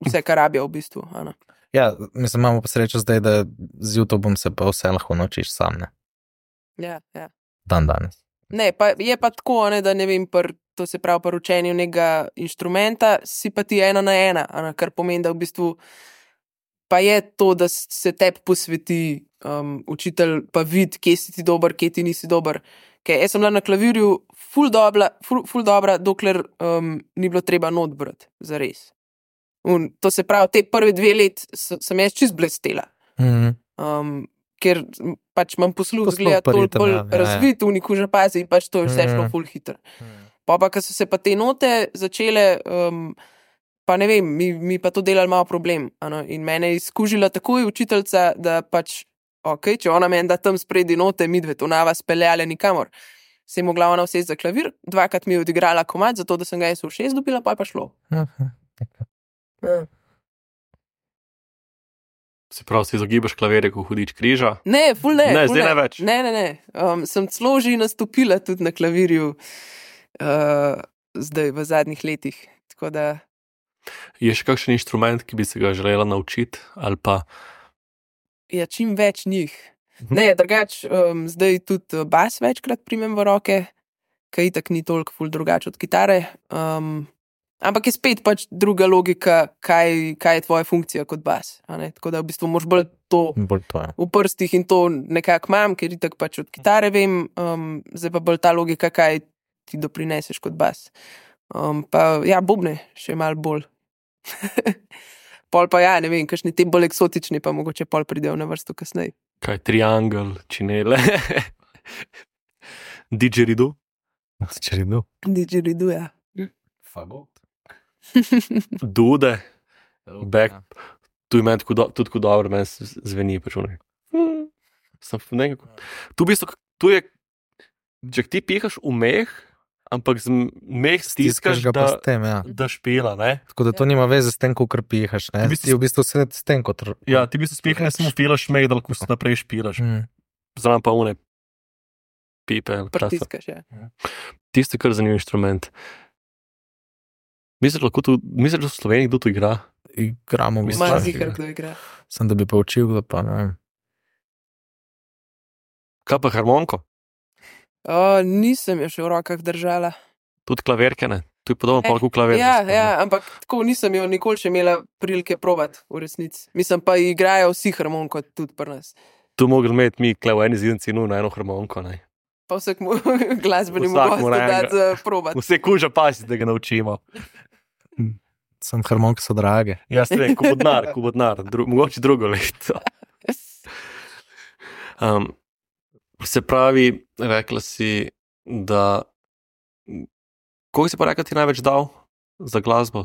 vse, kar rabijo v bistvu. a ne. Ja, mislim, imamo pa srečo zdaj, da z YouTubeom se pa vse lahko naučiš sam, ne. Ja, ja. Dan danes. Ne, pa je pa tako, a ne, da ne vem, pr, to se pravi, pri učenju nekega inštrumenta si pa ti ena na ena, a ne, kar pomeni, da v bistvu pa je to, da s- se tebi posveti um, učitelj, pa vidi, kje si ti dober, kje ti nisi dober. Ker jaz sem bila na klavirju ful dobra, ful, ful dobra dokler um, ni bilo treba not brati, zares. Un, to se pravi, te prve dve let s- sem jaz čist blestela. Mhm. Um, ker m, pač imam posluh, Posluh zgleda pa toliko ritem, bolj ja, ja, ja. razvit, v niku že pazi in pač to je vse šlo Mhm. ful hitro. Pa pa, ko so se pa te note začele, um, pa ne vem, mi, mi pa to delali malo problem. Ano? In mene je izkužila takoj učiteljica, da pač ok, če ona meni da tam spredi note, mi dve to nava speljale nikamor. Se je mogla ona vsesti za klavir, dvakrat mi je odigrala komad, zato da sem ga jaz v šest dobila, pa je pa šlo. Ja. Se pravi, si izogibaš klavirje, ko hudič križa? Ne, ful ne. Ne, ful zdaj ne več. Ne, ne, ne. Um, sem celo že nastopila tudi na klavirju uh, zdaj v zadnjih letih. Tako da... Je še kakšen inštrument, ki bi se ga želela naučiti? Ali pa... Ja, čim več njih. Ne, drugač, um, zdaj tudi bas večkrat primem v roke, kaj itak ni toliko ful drugač od kitare. Um, ampak je spet pač druga logika, kaj, kaj je tvoja funkcija kot bas. A ne? Tako da v bistvu moraš bolj to Bolj to je. v prstih in to nekako imam, ker itak pač od kitare vem, um, zdaj pa bolj ta logika, kaj ti doprineseš kot bas. Um, pa ja, bobne še malo bolj. Pol pa ja, ne vem, kakšni te bolj eksotični, pa mogoče pol pridejo na vrsto kasneje. Kaj, triangel, činele, didgeridoo? Didgeridoo. Didgeridoo, ja. Fagot. Dude, back, tu je meni tako do, tudi tako dobro, meni s- zveni počunek. Sem nekako, tu v bistvu, tu je, če ti pihaš v meh, ampak z meh stiskaš, ga pa da, s tem, ja. da špila, ne? Tako da to nima veze s tem, kako pihaš, ne? Ti bi si- Ti v bistvu se s tem kot... Ja, ti bi se spihaš, samo filaš meh, da lahko naprej špilaš. Mm. Zraven pa une pipe. ali časa. Prtiskaš, ja. Tisti, kar zanimiv inštrument. Misliš, lahko tu, misliš, da v Sloveniji kdo tu igra? Igramo v Mislim, Malo da- zihar, kdo igra. Sem da bi pa učil, da pa ne vem. Kaj pa harmonko? O, nisem jo še v rokah držala. Tudi klaverke, ne? Tu je podobno pa kot klaver. Ja, ja, ampak tako nisem jo nikoli še imela prilike probati v resnici. Mislim pa, igrajo vsi harmonko tudi pri nas. Tu mogli imeti mi kle v eni zidnici nu na eno harmonko, ne? Pa vsakmu glasbenemu Vsak gostu mora dati enega. za probati. Vse kuža pasi, da ga naučimo. Sem harmonke so drage. Jaz ne vem, ko bo denar, ko bo denar, dru, mogoče drugo leto. Um, se pravi, rekla si, da... Koliko si pa rekla ti največ dal za glasbo?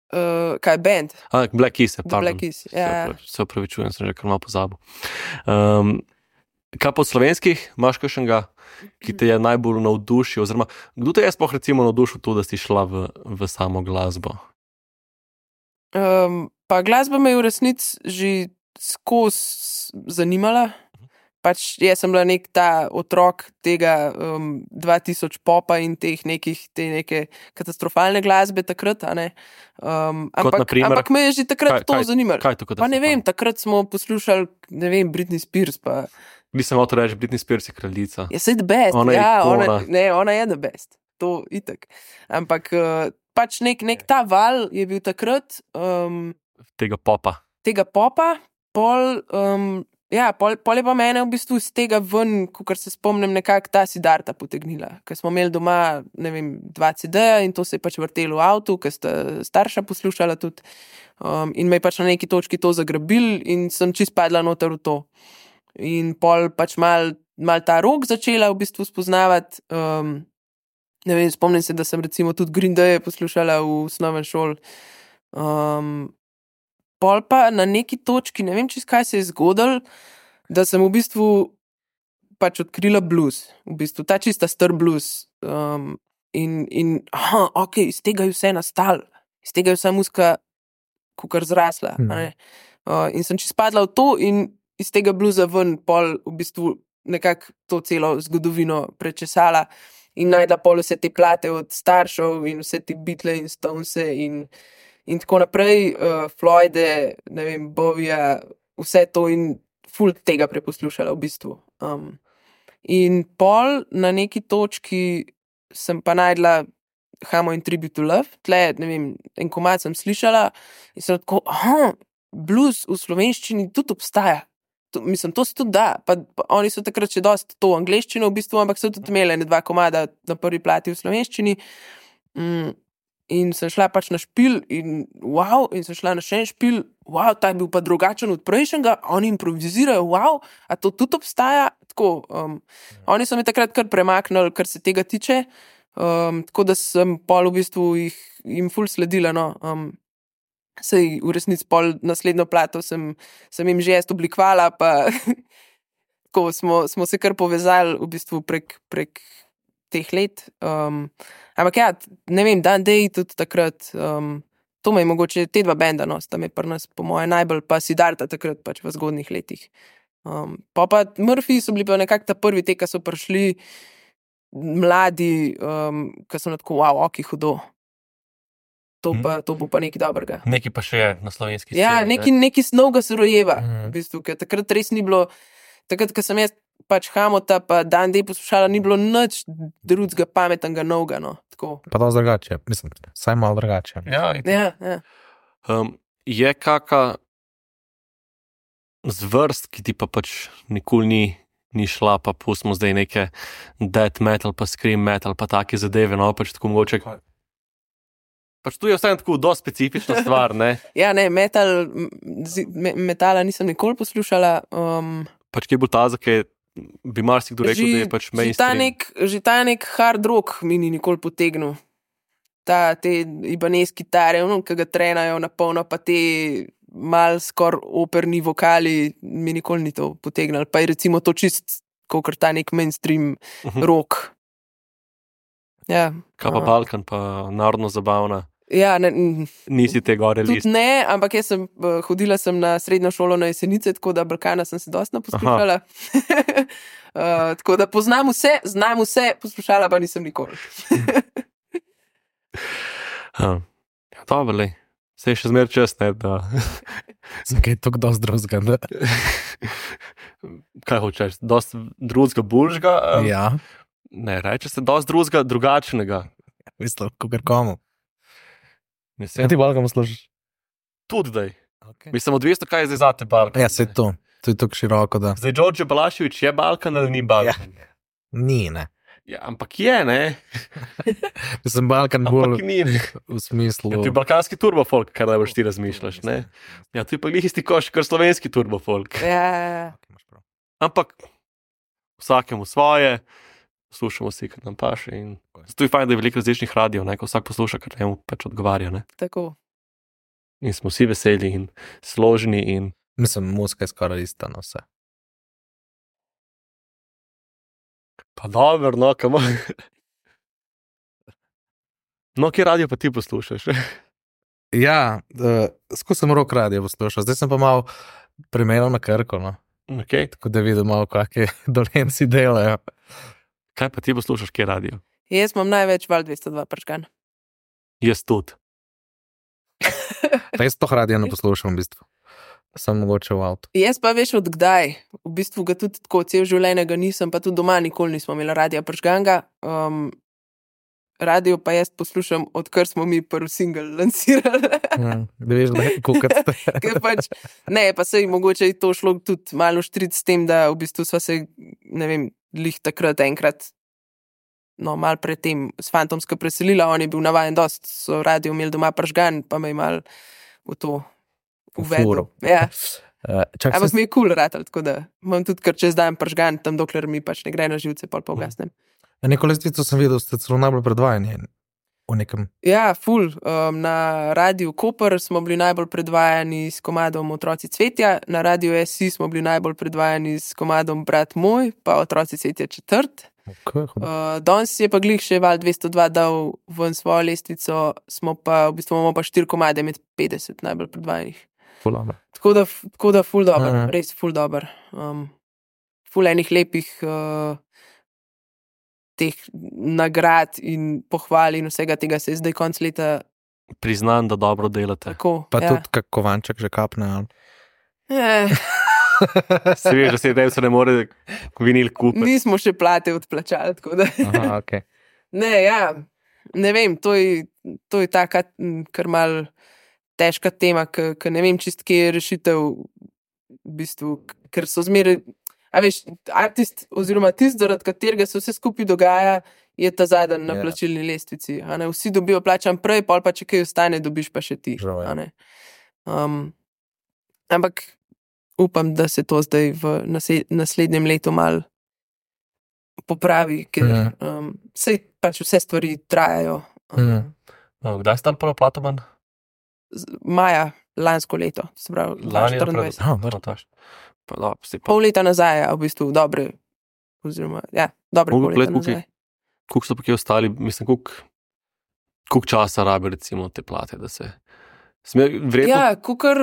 Uh, kaj, band? A, Black Keys, The pardon. Black Keys, Se ja. opravi- Se opravičujem, sem že kar malo pozabil. Um, kaj pa od slovenskih, imaš kakšnega, ki te je najbolj navdušil, oziroma kdo te je sploh recimo navdušil to, da si šla v, v samo glasbo? Um, pa glasba me je v resnici že skozi zanimala. Pač jaz sem bila nek ta otrok tega um, dva tisoč popa in teh nekih, te neke katastrofalne glasbe takrat, a ne. Um, Kot ampak, na primer? ampak me je že takrat Kaj- to kaj- zanimalo. Kaj je to, kot Pa ne vem, takrat smo poslušali, ne vem, Britney Spears, pa Nisem hotel reči, Britney Spears je kraljica. je sej the best. Ona je ja, ikona. ona, ne, ona je the best. To itak. Ampak uh, pač nek, nek ta val je bil takrat um, Tega popa. tega popa, pol, um, ja, pol, pol je pa mene v bistvu iz tega ven, kot se spomnim, nekako ta Siddharta potegnila. Ker smo imeli doma, ne vem, dva C D-ja in to se je pač vrtelo v avtu, ker sta starša poslušala tudi. Um, in me je pač na neki točki to zagrabil in sem čist padla noter v to. In pol pač mal, mal ta rok začela v bistvu spoznavati. Um, ne vem, spomnim se, da sem recimo tudi Green Day poslušala v osnovni šoli. Um, pol pa na neki točki, ne vem, čist kaj se je zgodilo, da sem v bistvu pač odkrila blues, v bistvu ta čista star blues. Um, in, in aha, ok, iz tega je vse nastalo, iz tega je vsa muska kukar zrasla. Hmm. a ne. Uh, in sem čist padla v to in iz tega bluza ven pol v bistvu nekako to celo zgodovino prečesala in najdla pol vse te plate od staršev in vse te Beatle in Stonese in In tako naprej, uh, Floyde, ne vem, Bovija, vse to in ful tega preposlušala v bistvu. Um, in pol na neki točki sem pa najdla Hamo in Tribute to Love, tle, ne vem, en komad sem slišala in sem tako, aha, blues v slovenščini tudi obstaja. To, mislim, to se tudi da. Pa, pa oni so takrat še dosti to v angleščino v bistvu, ampak so tudi imeli ene dva komada na prvi plati v slovenščini. Mm. In sem šla pač na špil in wow, in sem šla na še en špil, wow, ta je bil pa drugačen od prejšnjega, oni improvizirajo, wow, a to tudi obstaja, tako, um, oni so me takrat kar premaknili, kar se tega tiče, um, tako da sem pol v bistvu jih, jim ful sledila, no, um, Sej v resnici pol naslednjo plato sem, sem jim že jaz oblikovala, pa tako smo, smo se kar povezali v bistvu prek, prek teh let. Um, ampak ja, ne vem, Dan Day tudi takrat, um, to me je mogoče te dva benda, no, sta me pri nas po moje najbolj, pa Siddharta takrat pač v zgodnih letih. Um, pa pa Murphy so bili pa nekako ta prvi te, ki so prišli mladi, um, ki so na tako, wow, ok, hudo. To, pa, to bo pa nekaj dobrega. Nekaj pa še je na slovenski sceni. Ja, neki, neki snovga se rojeva, Mhm. v bistvu, ker takrat res ni bilo, takrat, ko sem jaz pač Hamota pa Dan Day poslušala, ni bilo nič drugega pametnega novega, no, tako. Pa to drugače, mislim, saj malo drugače. Ja, Ja, ja. um, je kaka zvrst, ki ti pa pač nikoli ni, ni šla, pa pustimo zdaj neke death metal, pa scream metal, pa take zadeve, no, pač tako mogoče. Pač tu je vsem tako dosti specifična stvar, ne? Ja, ne, metal, zi- me, metala nisem nikoli poslušala. Um, Pač kje bo ta, zakaj bi marsikdo rekel, da je pač že, ta mainstream. nek, že ta nek hard rock mi ni nikoli potegnil. Ta, te Ibanez kitare, ono, ki ga trenajo na polno, pa te mal skor operni vokali, mi nikoli ni to potegnil. Pa je recimo to čist, kot ta nek mainstream Mhm. rock. Ja, Kaj pa uh, Balkan, pa narodno zabavna. ja ne, mm, Nisi te gore tudi list. ne, ampak jaz sem uh, hodila sem na srednjo šolo na Jesenice, tako da Balkana sem se dosti poslušala. uh, tako da poznam vse, znam vse, poslušala pa nisem nikoli. Ja, dobro, lej. Se je še zmer čas, ne, da... Zakaj je to kdo zdruzga? Da? Kaj hočeš, dosti drugega bulžga? Um, Ja, Ne, reče se dosti drugega drugačnega. mislim, kogar komu. Ja, Mislim, ti Balkan služiš? tudi daj. Okay. Mislim, odvisno, kaj je zdaj zate Balkan. Ja, se je to. To je tako široko, da Zdaj, Đorđe Balašević je Balkan ali ni Balkan? Ja, ni, ne. ja ampak je, ne? Mislim, Balkan Ampak bolj ni. Ne. v smislu... Ja, to je balkanski turbofolk, kar najbolj ti razmišljaš, ne? Ja, to je pa glih isti koš, kar slovenski turbofolk. Ja, ja, ja. Ampak vsakemu svoje, slušamo si, kar nam paše. In zato je fajn, da je veliko različnih radijev, ne, ko vsak posluša, kar njemu pač odgovarja. Ne. Tako. In smo vsi veseli in složni. In... Mislim, muzika je skoraj ista na vse. Pa dobro, no, kamo. No, kje radio pa ti poslušaš? Ja, uh, skozi sem rok radio poslušal, zdaj sem pa malo primerjal na Krko, no. Okay. Tako da vidim malo, kakšne dolenci delajo. Kaj pa ti poslušaš, kje radio? Jaz imam največ val dvesto dva prčkan. Jaz tudi. Pa jaz to radio ne poslušam, v bistvu. Sem mogoče v avtu. Jaz pa veš od kdaj. V bistvu ga tudi tako cel življenje ga nisem, pa tudi doma nikoli nismo imeli radia prčkanga. Um, radio pa jaz poslušam, odkar smo mi prvi single lansirali. Ja, da veš, da je kukat ste. Ker pač, ne, pa se je mogoče to šlo tudi malo štrit s tem, da v bistvu sva se, ne vem, lih takrat enkrat, no, malo pred tem s Fantomsko preselila, on je bil navajen dost, so radio imeli doma pržgan, pa me je malo v to uvedel. Ja. Uh, čak, Ampak sem, mi je kul cool ratal, tako da imam tudi kar čez dan pržgan, tam dokler mi pač ne gre na živce, pol pa ugasnem. neko lestvico sem videl, ste celo najbolj predvajani v nekem. Ja, ful. Um, na Radiu Koper smo bili najbolj predvajani s komadom Otroci cvetja, na Radiu S I smo bili najbolj predvajani s komadom Brat moj, pa Otroci cvetja četrt. Okay, Uh, danes je pa glih še val dvesto dva dal ven svojo lestvico, smo pa, v bistvu imamo pa štiri komade med petdeset najbolj predvajanih. Tako da, tako da ful dober, Aha. res ful dober. Um, ful enih lepih uh, teh nagrad in pohval in vsega tega se je zdaj konc leta Priznam, da dobro delate. tako. Pa ja. tudi kak kovanček že kapne. ali? Eh, Se veš, da se je se ne more vinil kupiti. nismo še plate odplačali, tako da. Aha, okay. Ne, ja, ne vem, to je, to je taka, m, kar mal težka tema, ker ne vem čist, kje je rešitev, v bistvu, k- ker so zmeraj, a veš, artist oziroma tist, zaradi katerega se vse skupaj dogaja, je ta zadnji na Ja. plačilni lestvici. A ne, vsi dobijo plačan prej, pol pa če kaj ostane, dobiš pa še ti. Žal je. a ne. Um, ampak upam, da se to zdaj v nase- naslednjem letu mal popravi, ker Mhm. um, sej pač vse stvari trajajo. Um, Mhm. No, kdaj ste tam prvo plato manj? maja lansko leto, se pravi Lani dvajset štiriindvajset. Oh, dobro. Pa, da, si pa, Pol leta nazaj, a v bistvu dobre, oziroma, ja, dobre Mogoče pol leta gledati, nazaj. koliko so pa kje ostali, mislim, koliko, koliko časa rabi recimo te plate, da se... Sme, vredno, Ja, kukar,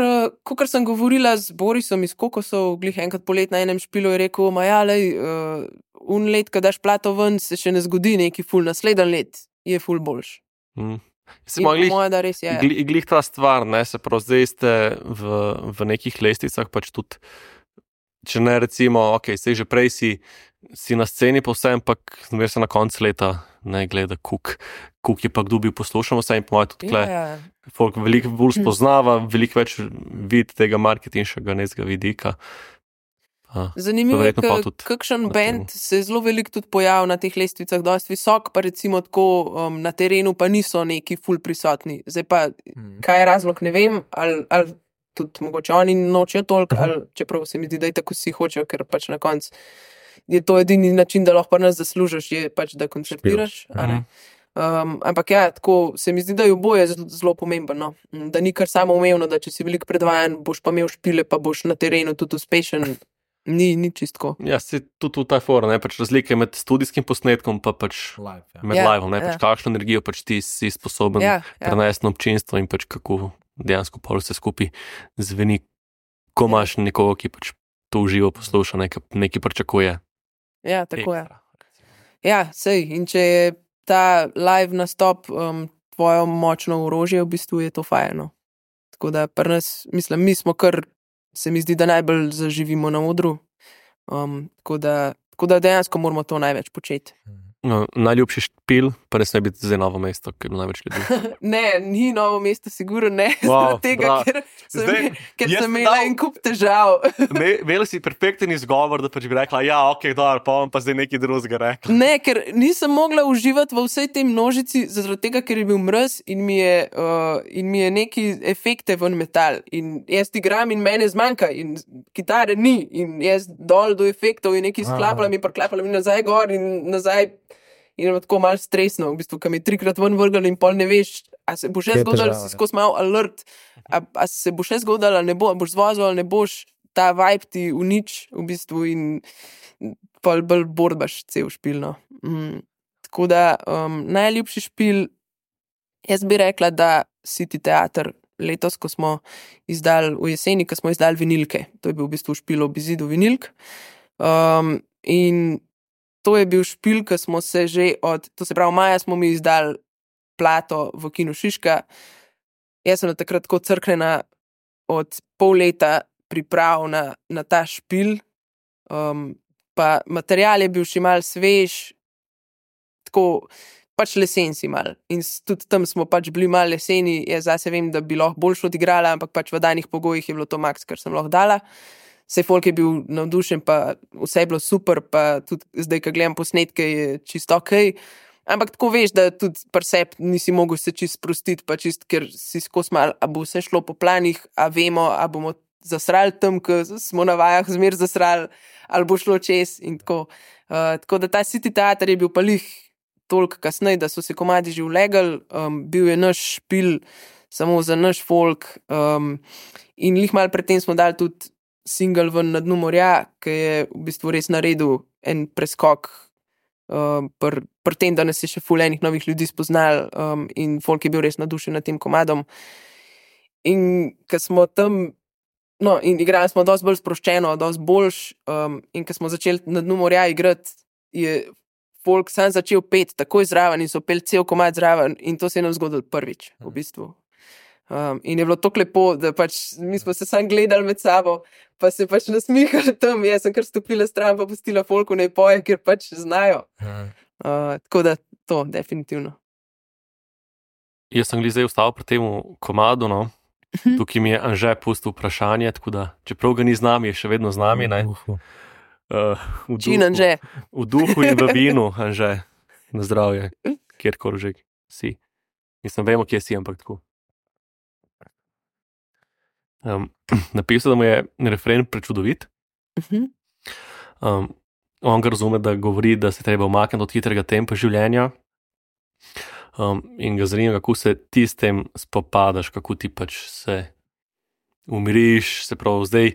kukar sem govorila z Borisom iz Kokosov, glih enkrat polet na enem špilu, je rekel, ma ja, lej, uh, un let, ko daš plato ven, se še ne zgodi neki ful, naslednji let je ful boljš. mm, se In ima po glih, moje, da res je. glih, glih ta stvar, ne, se prav zdaj ste v, v nekih lesticah pač tudi, če ne recimo, ok, sej že prej si, si na sceni povsem, pak zmer se na konc leta ne gleda, kuk, kuk je pa kdo bil poslušal vse in po moje tudi Ja, tle, ja. folk veliko bolj spoznava, veliko več vidi tega marketinškega nezga vidika. A, Zanimivo je, verjetno pa tudi kakšen na band se je zelo veliko tudi pojavil na teh lestvicah, dosti visok, pa recimo tako um, na terenu pa niso neki ful prisotni. Zdaj pa, Mm. kaj je razlog, ne vem, ali, ali tudi mogoče oni nočejo toliko, ali čeprav se mi zdi, da je tako vsi hočejo, ker pač na koncu je to edini način, da lahko pri nas zaslužiš, je pač, da koncertiraš. a ne. Um, ampak ja, tako se mi zdi, da je oboje zelo, zelo pomembno, no? Da ni kar samo umevno, da če si veliko predvajan, boš pa imel špile, pa boš na terenu tudi uspešen. Ni, ni čistko. Ja, se tudi v ta fora, ne, pač razlike med studijskim posnetkom pa pač Live, ja. med Ja, liveom, ne, pač ja. kakšno energijo pač ti si sposoben Ja, ja. prenesti na občinstvo in pač kako dejansko pol vse skupaj zveni, ko imaš nekoga, ki pač to uživo posluša, nekaj, nekaj pričakuje. Ja, tako je. Ekstra. Ja, sej. In če je ta live nastop um, tvoje močno orožje, v bistvu je to fajno. Tako da pri nas, mislim, mi smo kar, se mi zdi, da najbolj zaživimo na odru. Um, tako, da, tako da dejansko moramo to največ početi. No, najljubši špil, pa ne sme biti zdaj Novo mesto, ker je največ ljudi. Ne, ni Novo mesto, sigurno ne. Wow, Zaradi tega, bravo. ker sem, Zdaj, ker jaz sem sem imela dal- en kup težav. Imela si perfekten izgovor, da pač bi rekla, ja, ok, dobro, pa bom pa zdaj nekaj drugega rekla. Ne, ker nisem mogla uživati v vsej tej množici, zaradi tega, ker je bil mraz in mi je, uh, in mi je neki efekte ven metal. In jaz igram in mene zmanjka, in kitare ni, in jaz dol do efektov in neki sklapala mi, preklapala mi nazaj gor in nazaj. In je tako malo stresno, v bistvu, kam je trikrat ven vrgel in pol ne veš, a se bo še Kje je zgodilo, težava, si ja. skozi malo alert, a, a se bo še zgodilo, ali ne bo, a boš zvozil ali ne boš, ta vibe ti unič v bistvu in pol bolj borbaš cel špil. No. Mm. Tako da um, najljubši špil, jaz bi rekla, da City Theater letos, ko smo izdali v jeseni, ko smo izdali vinilke. To je bil v bistvu špil ob izidu vinilk. Um, in to je bil špil, ki smo se že od, to se pravi, maja smo mi izdali plato v Kinu Šiška. Jaz sem takrat tako crknjena od pol leta priprav na, na ta špil. Um, pa material je bil še mal svež, tako pač lesen si mal. In s- tudi tam smo pač bili mal leseni, jaz zase vem, da bi lahko boljš odigrala, ampak pač v danih pogojih je bilo to maks, kar sem lahko dala. Sej folk je bil navdušen, pa vse je bilo super, pa tudi zdaj, ko gledam posnetke, je čisto ok. Ampak tako veš, da tudi pri sebi nisi mogel se čist sprostiti, pa čist, ker si skozi mal, a bo vse šlo po planih, a vemo, a bomo zasrali tam, ko smo na vajah zmer zasrali, ali bo šlo čez in tako. Uh, tako da ta City Theater je bil pa lih toliko kasneje, da so se komadi že vlegali, um, bil je naš špil samo za naš folk um, in lih mal predtem smo dali tudi single ven Na dnu morja, ki je v bistvu res naredil en preskok um, pri pr tem, da nas je še ful enih novih ljudi spoznal um, in folk je bil res nadušen nad tem komadom. In ko smo tam, no, in igrali smo dosti bolj sproščeno, dosti boljš um, in ko smo začeli Na dnu morja igrati, je folk sam začel pet takoj zraven in so pel cel komad zraven in to se je nam zgodilo prvič, v bistvu. Um, in je bilo tako lepo, da pač mi smo se sam gledali med sabo, pa se pač nasmihali tam, jaz sem kar stopila stran, pa pustila folku naj poje, ker pač znajo. Uh, tako da to, definitivno. Jaz sem glih zdaj ostal pri tem komadu, no. Tukaj mi je Anže pustil vprašanje, tako da, čeprav ga ni z nami, je še vedno z nami, ne. Uhu. Uh, v Čin duhu- Anže. V duhu in v vinu, Anže, na zdravje, kjerkoli že si. Mislim, vemo, kje si, ampak tako. Um, napisal, da mu je refren prečudovit. Mhm. Um, on ga razume, da govori, da se treba umakniti od hitrega tempa življenja. Um, in ga zanima, kako se ti s tem spopadaš, kako ti pač se umiriš, se pravi, zdaj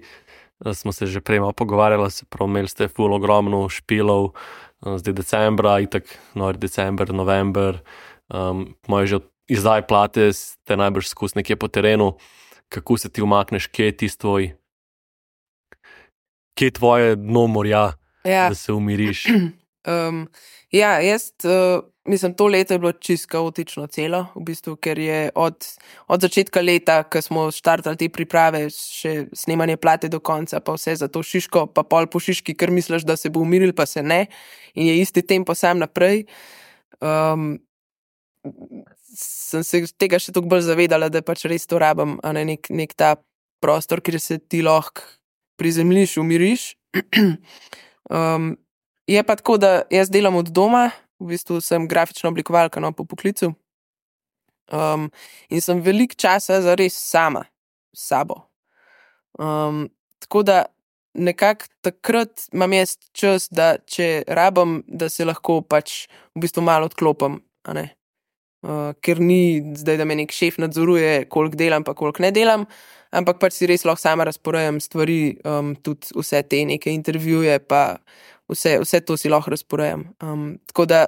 smo se že prej malo pogovarjali, se pravi, imeli ste ful ogromno špilov, zdaj decembra, itak, nori december, november, um, moje že izdaj plate, ste najbrž skus nekje po terenu, kako se ti umakneš, kje je tisti tvoj, kje je tvoje dno morja, Ja. da se umiriš. Um, ja, jaz uh, mislim, to leto je bilo čisto kaotično celo, v bistvu, ker je od, od začetka leta, ko smo štartali te priprave, še snemanje plate do konca, pa vse za to Šiško, pa pol po Šiški, ker misliš, da se bo umiril, pa se ne, in je isti tempo sam naprej. Um, sem se tega še toliko bolj zavedala, da pač res to rabim, a ne nek, nek ta prostor, kjer se ti lahko prizemljiš, umiriš. um, Je pa tako, da jaz delam od doma, v bistvu sem grafična oblikovalka, no, po poklicu. Um, in sem veliko časa zares sama, s sabo. Um, tako da nekako takrat imam jaz čas, da če rabim, da se lahko pač v bistvu malo odklopim, a ne. Uh, ker ni zdaj, da me nek šef nadzoruje, koliko delam, pa koliko ne delam, ampak pač si res lahko sama razporejam stvari, um, tudi vse te neke intervjuje, pa Vse, vse to si lahko razporejam. Um, tako da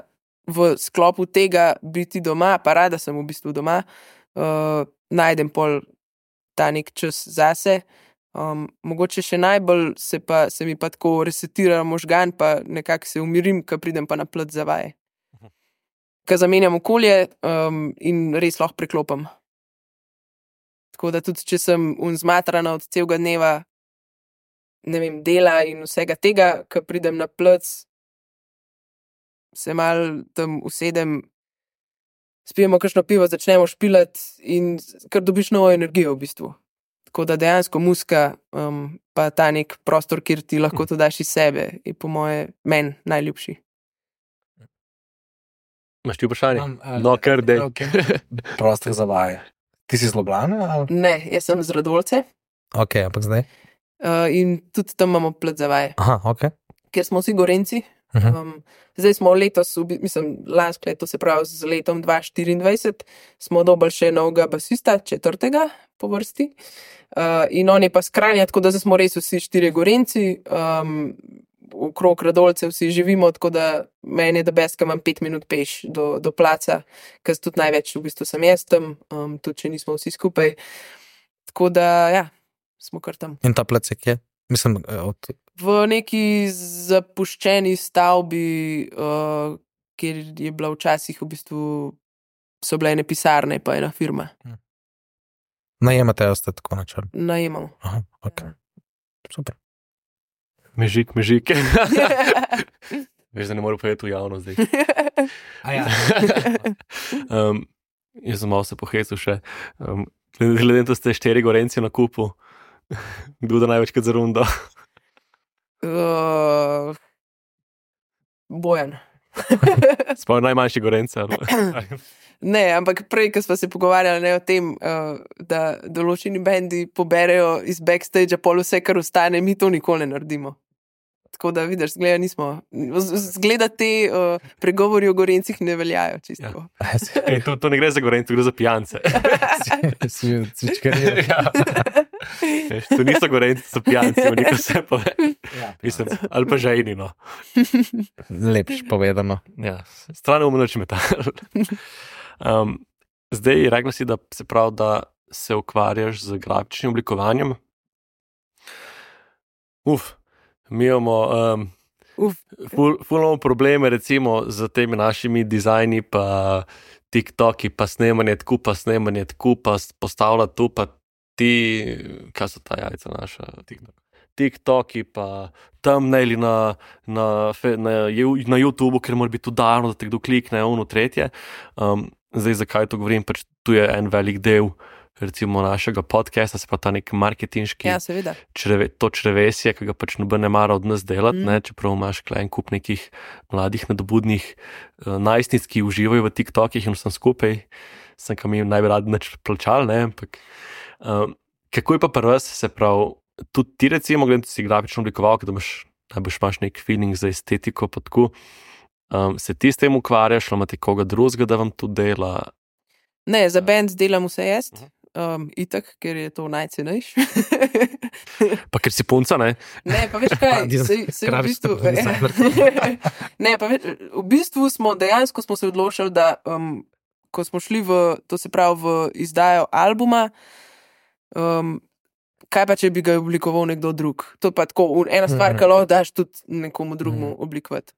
v sklopu tega biti doma, pa rada sem v bistvu doma, uh, najdem pol ta nek čas zase. Um, mogoče še najbolj se, pa, se mi pa tako resetira možgan, pa nekako se umirim, ko pridem pa na plac za vaje. Ko zamenjam okolje um, in res lahko preklopim. Tako da tudi, če sem zmatrana od celega dneva, ne vem, dela in vsega tega, ko pridem na plac, se mal tam usedem, spijemo kakšno pivo, začnemo špilati in kar dobiš novo energijo v bistvu. Tako da dejansko muzika, um, pa ta nek prostor, kjer ti lahko to daš iz sebe, je po moje meni najljubši. Imaš ti vprašanje? Imam, ali- No, kar dej. Okay. Prostor za vaje. Ti si iz Ljubljane? Ali? Ne, jaz sem z Radolce Ok, ampak zdaj? uh, in tudi tam imamo plac za vaje, Aha, ok. ker smo vsi Gorenci. Uh-huh. Um, zdaj smo letos, v bi- mislim, lansko leto, se pravi z letom dva tisoč štiriindvajset, smo dobili še novega basista, četrtega po vrsti. Uh, in on je pa skrajnja, tako da zdaj smo res vsi štirje Gorenci, um, okrog Radolcev vsi živimo, tako da meni je da best, ko imam pet minut peš do, do placa, ker tudi največ v bistvu sem jaz tam, um, tudi če nismo vsi skupaj. Tako da, ja, smo kar tam. In ta plac je kje? Mislim, od... V neki zapuščeni stavbi, uh, kjer je bila včasih v bistvu, so bile ene pisarne, pa ena firma. najemate, jo ste tako načrni. Najemamo. Aha, ok. Super. Mežik, mežik. Veš, da ne morem povedati v javno zdaj. Ja. um, jaz sem malo se pohecil še. Um, glede na to, da ste štiri Gorenci na kupu, kdo da največkrat za rundo? Uh, Bojan. Sploh najmanjši Gorenci. ali- Ne, ampak prej, ko smo se pogovarjali ne, o tem, uh, da določeni bendi poberejo iz backstage pol vse, kar ostane, mi to nikoli ne naredimo. Tako da vidiš, zgleda, nismo. Zgleda te uh, pregovori o Gorencih ne veljajo čisto. Ja. Ej, to, to ne gre za Gorence, gre za pijance. Si cvičkaril. Ja. Veš, to niso Gorenci, so pijanci, veliko se pove. Ja. Mislim, ali pa žejni, no. Lepš povedano. Ja, strano umno če metal. Um, zdaj, rekla si, da se pravi, da se ukvarjaš z grafičnim oblikovanjem. Uf, mi imamo um, Uf. ful, ful imamo probleme recimo z temi našimi dizajni, pa TikToki, pa snemanje tku, pa snemanje tku, pa postavlja tu, pa ti, kaj so ta jajca naša, TikTok. TikToki, pa thumbnaili na, na, fe- na, ju- na YouTubu, ker mora biti udarno, da te kdo klikne, ono tretje. Um, zdaj, zakaj to govorim, pač tu je en velik del recimo našega podcasta, se pa ta nek marketinški Ja, seveda. čreve, to črevesje, ki ga pač noben ne mara od nas delati, Mm. mm. ne, čeprav imaš kle en kup nekih mladih, nadobudnih uh, najstnic, ki uživajo v TikTokih in vsem skupaj, sem kam jim najbolj radi nič plačal, ne, ampak um, kako je pa pri vas, se pravi, tudi ti recimo, gledam, si grafično oblikoval, da imaš, najbolj imaš nek feeling za estetiko, pa tako, Um, se ti s tem ukvarjaš, ali imate koga drugega, da vam to dela? Ne, za band delam vse jaz, um, itak, ker je to najcenejše. Pa ker si punca, ne? Ne, pa veš kaj, Pa, se, se v kraviš bistvu, tako dizajner. ne, pa veš, v bistvu smo dejansko smo se odločili, da um, ko smo šli v, to se pravi v izdajo albuma, um, kaj pa, če bi ga oblikoval nekdo drug? To je pa tako ena stvar, ki lahko daš tudi nekomu drugemu oblikovati.